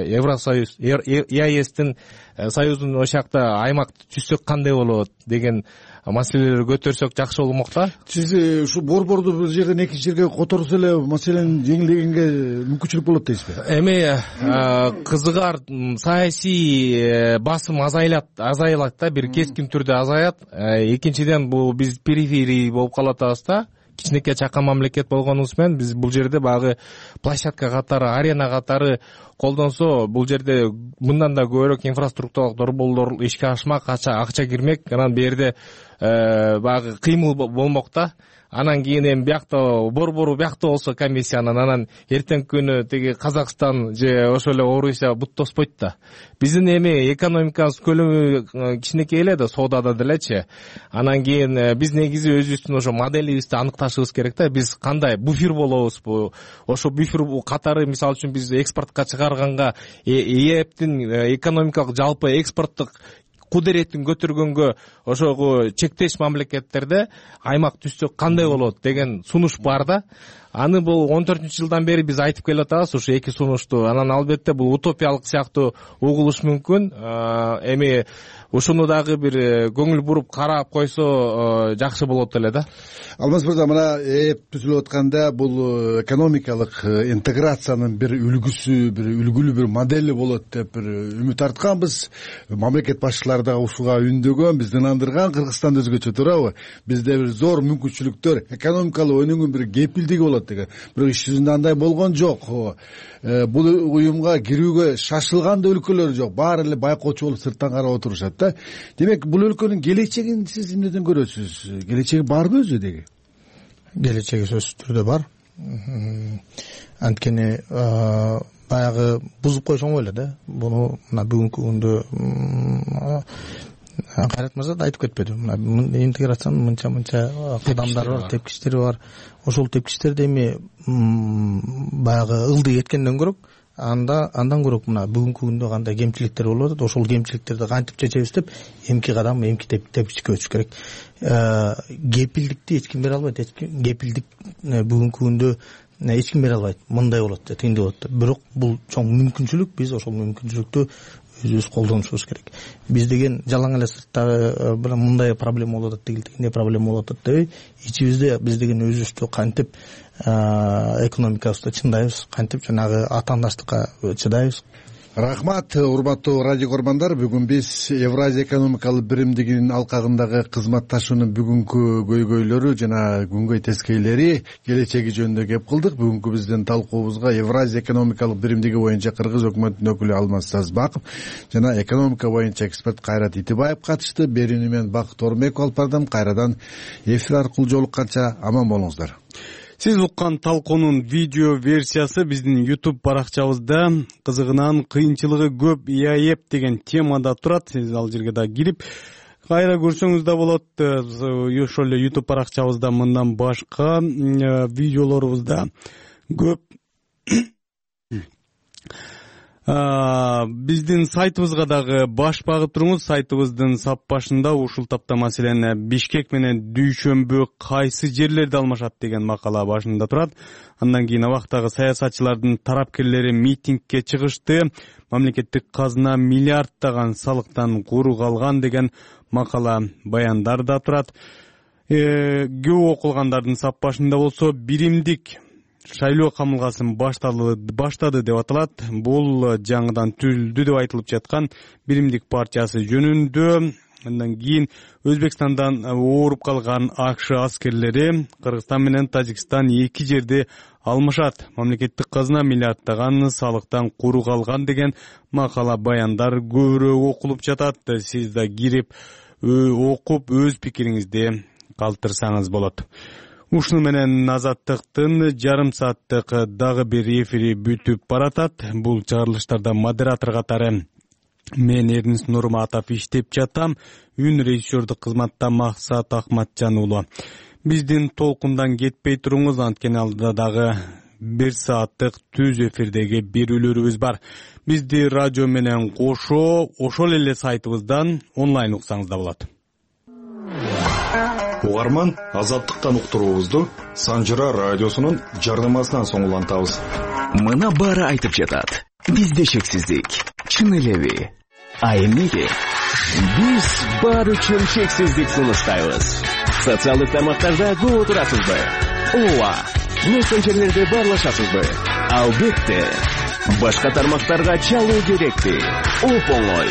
Евросоюз, ЕАЭСтин союздун ошол жакта аймак түзсөк кандай болот деген маселелерди көтөрсөк жакшы болмок да. Сиз ушу борборду бир жерден экинчи жерге которсо эле маселени жеңилдегенге мүмкүнчүлүк болот дейсизби? Эми кызыгар саясий басым азайлат да, бир кескин түрдө азаят. Экинчиден бул биз периферий болуп калып атабыз да. Кичинекей чакан мамлекет болгонубуз менен биз бул жерде баягы площадка катары, арена катары колдонсо, бул жерде мындан да көбүрөөк инфраструктуралык долбоорлор ишке ашмак, акча кирмек, анан берде баягы кыймыл болмок да. Анан кийин эми биякта борбору биякта болсо комиссиянын, анан эртеңки күнү тиги Казакстан же ошол эле Орусия бут тоспойт да. Биздин эми экономикабыз көлөмү кичинекей эле да, соодада делечи. Анан кийин биз негизи өзүбүздүн ошо моделибизди аныкташыбыз керек да. Биз кандай буфер болобузбу? Ошо буфер катары мисалы үчүн биз экспортко чыгарганга ЕЭПтин экономикалык жалпы экспорттук кудуретін көтөргөнгө ошого чектеш мамлекеттерде аймак түзсөк кандай болот деген сунуш бар да. Аны бул 14-жылдан бери биз айтып келип атабыз ушу эки сунушту. Анан албетте бул утопиялык сыяктуу угулуш мүмкүн. Эми ушуну дагы бир көңүл буруп карап койсо жакшы болот эле да. Алмаз мырза, мына түзүлүп атканда бул экономикалык интеграциянын бир үлгүсү, бир үлгүлүү бир модели болот деп бир үмүт артканбыз. Мамлекет башчылары дагы ушуга үндөгөн, бизди ынандырган. Кыргызстан өзгөчө, туурабы? Бизде бир зор мүмкүнчүлүктөр, экономикалык өнүгүүнүн бир кепилдиги болот деген. Бирок иш жүзүндө андай болгон жок. Бул уюмга кирүүгө шашылган да өлкөлөр жок. Баары эле байкоочу болуп сырттан карап отурушат да. Демек, бул өлкөнүн келечегин сиз эмнеден көрөсүз? Келечеги барбы өзү деги? Келечеги сөзсүз түрдө бар. Анткени баягы бузуп койсоң эле да. Буну мына бүгүнкү күндө Кайрат мырза да айтып кетпеди. Мына интеграциянын мынча кадамдары бар, тепкичтери бар. Ошол тепкичтерди эми баягы ылдый эткенден көрөк, андан көрөк мына бүгүнкү күндө кандай кемчиликтер болуп атат, ошол кемчиликтерди кантип чечебиз деп эмки кадам, эмки тепкичке өтүш керек. Кепилдикти эч ким бере албайт. Кепилдик бүгүнкү күндө эч ким бере албайт. Мындай болот, тигиндей болот. Бирок бул чоң мүмкүнчүлүк, биз ошол мүмкүнчүлүктү өзүбүз колдонушубуз керек. Биз деген жалаң эле сырттагы мындай проблема болуп атат, тигиндей проблема болуп атат дебей, ичибизде биз деген өзүбүздү кантип экономикабызды чындайбыз, кантип жанагы атаандаштыкка чыдайбыз. Рахмат, урматтуу радио көрмандар. Бүгүн биз Евразия экономикалык биримдигинин алкагындагы кызматташуунун бүгүнкү көйгөйлөрү жана күнгөй тескейлери, келечеги жөнүндө кеп кылдык. Бүгүнкү биздин талкуубузга Евразия экономикалык биримдиги боюнча Кыргыз өкмөтүнүн өкүлү Алмаз Сазбаков жана экономика боюнча эксперт Кайрат Итибаев катышты. Берүүнү мен Бакыт Ормеков алып бардым. Кайрадан эфир аркылуу жолукканча аман болуңуздар. Сиз уккан талкуунун видео версиясы биздин YouTube баракчабызда кызыгынан кыйынчылыгы көп ИАЭП деген темада турат. Сиз ал жерге да кирип кайра көрсөңүз да болот. Ошол эле YouTube баракчабызда мындан башка видеолорубуз да көп. Биздин сайтыбызга дагы баш багып туруңуз. Сайтыбыздын сап башында ушул тапта маселени Бишкек менен Дүйшөмбү кайсы жерлерде алмашат деген макала башында турат. Андан кийин абактагы саясатчылардын тарапкерлери митингке чыгышты. Мамлекеттик казына миллиарддаган салыктан куру калган деген макала баяндар да турат. Көп окулгандардын сап башында болсо биримдик шайлоо камылгасын баштады деп аталат. Бул жаңыдан түзүлдү деп айтылып жаткан биримдик партиясы жөнүндө. Андан кийин Өзбекстандан ооруп калган АКШ аскерлери Кыргызстан менен Тажикстан эки жерде алмашат. Мамлекеттик казына миллиарддаган салыктан куру калган деген макала баяндар көбүрөөк окулуп жатат. Сиз да кирип окуп өз пикириңизди калтырсаңыз болот. Ушуну менен Азаттыктын жарым сааттык дагы бир эфири бүтүп баратат. Бул чыгарылыштарда модератор катары мен Эрнис Нурматов иштеп жатам. Үн режиссердук кызматта Максат Акматжан уулу. Биздин толкундан кетпей туруңуз, анткени алдыда дагы 1 сааттык түз эфирдеги берүүлөрүбүз бар. Бизди радио менен кошо ошол эле сайтыбыздан онлайн уксаңыз да болот. Угарман, Азаттыктан уктуруубузду Санжыра радиосунун жарнамасынан соң улантабыз. Мына баары айтып жатат. Бизде шексиздик. Чын элеби? А эмнеге? Биз бар үчүн шексиздик сунуштайбыз. Социалдык тармактарда көп отурасызбы? Ооба. Мессенджерлерде баарлашасызбы? Албетте. Башка тармактарга чалуу керекпи? Оп-оңой.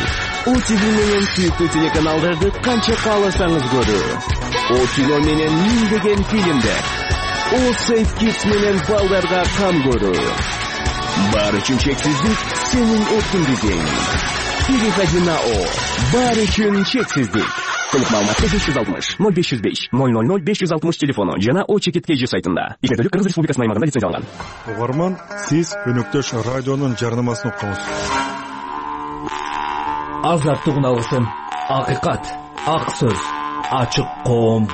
ОТВ менен сүйүктүү телеканалдарды канча кааласаңыз көрүү. О кино менен миңдеген фильмдер. О Сейф Kids менен балдарга кам көрүү. Бар үчүн шексиздик сенин эркиндигиң. Переходи на О. Бар үчүн шексиздик. Толук маалыматты 560 0505 000 560 телефону жана О Чекиткежи сайтында. Ишмердүүлүк Кыргыз Республикасынын аймагында лицензияланган. Угарман, сиз өнөктөш радионун жарнамасын уктуңуз. Азаттык уналгысы, акыйкат, ак сөз, ачык коом.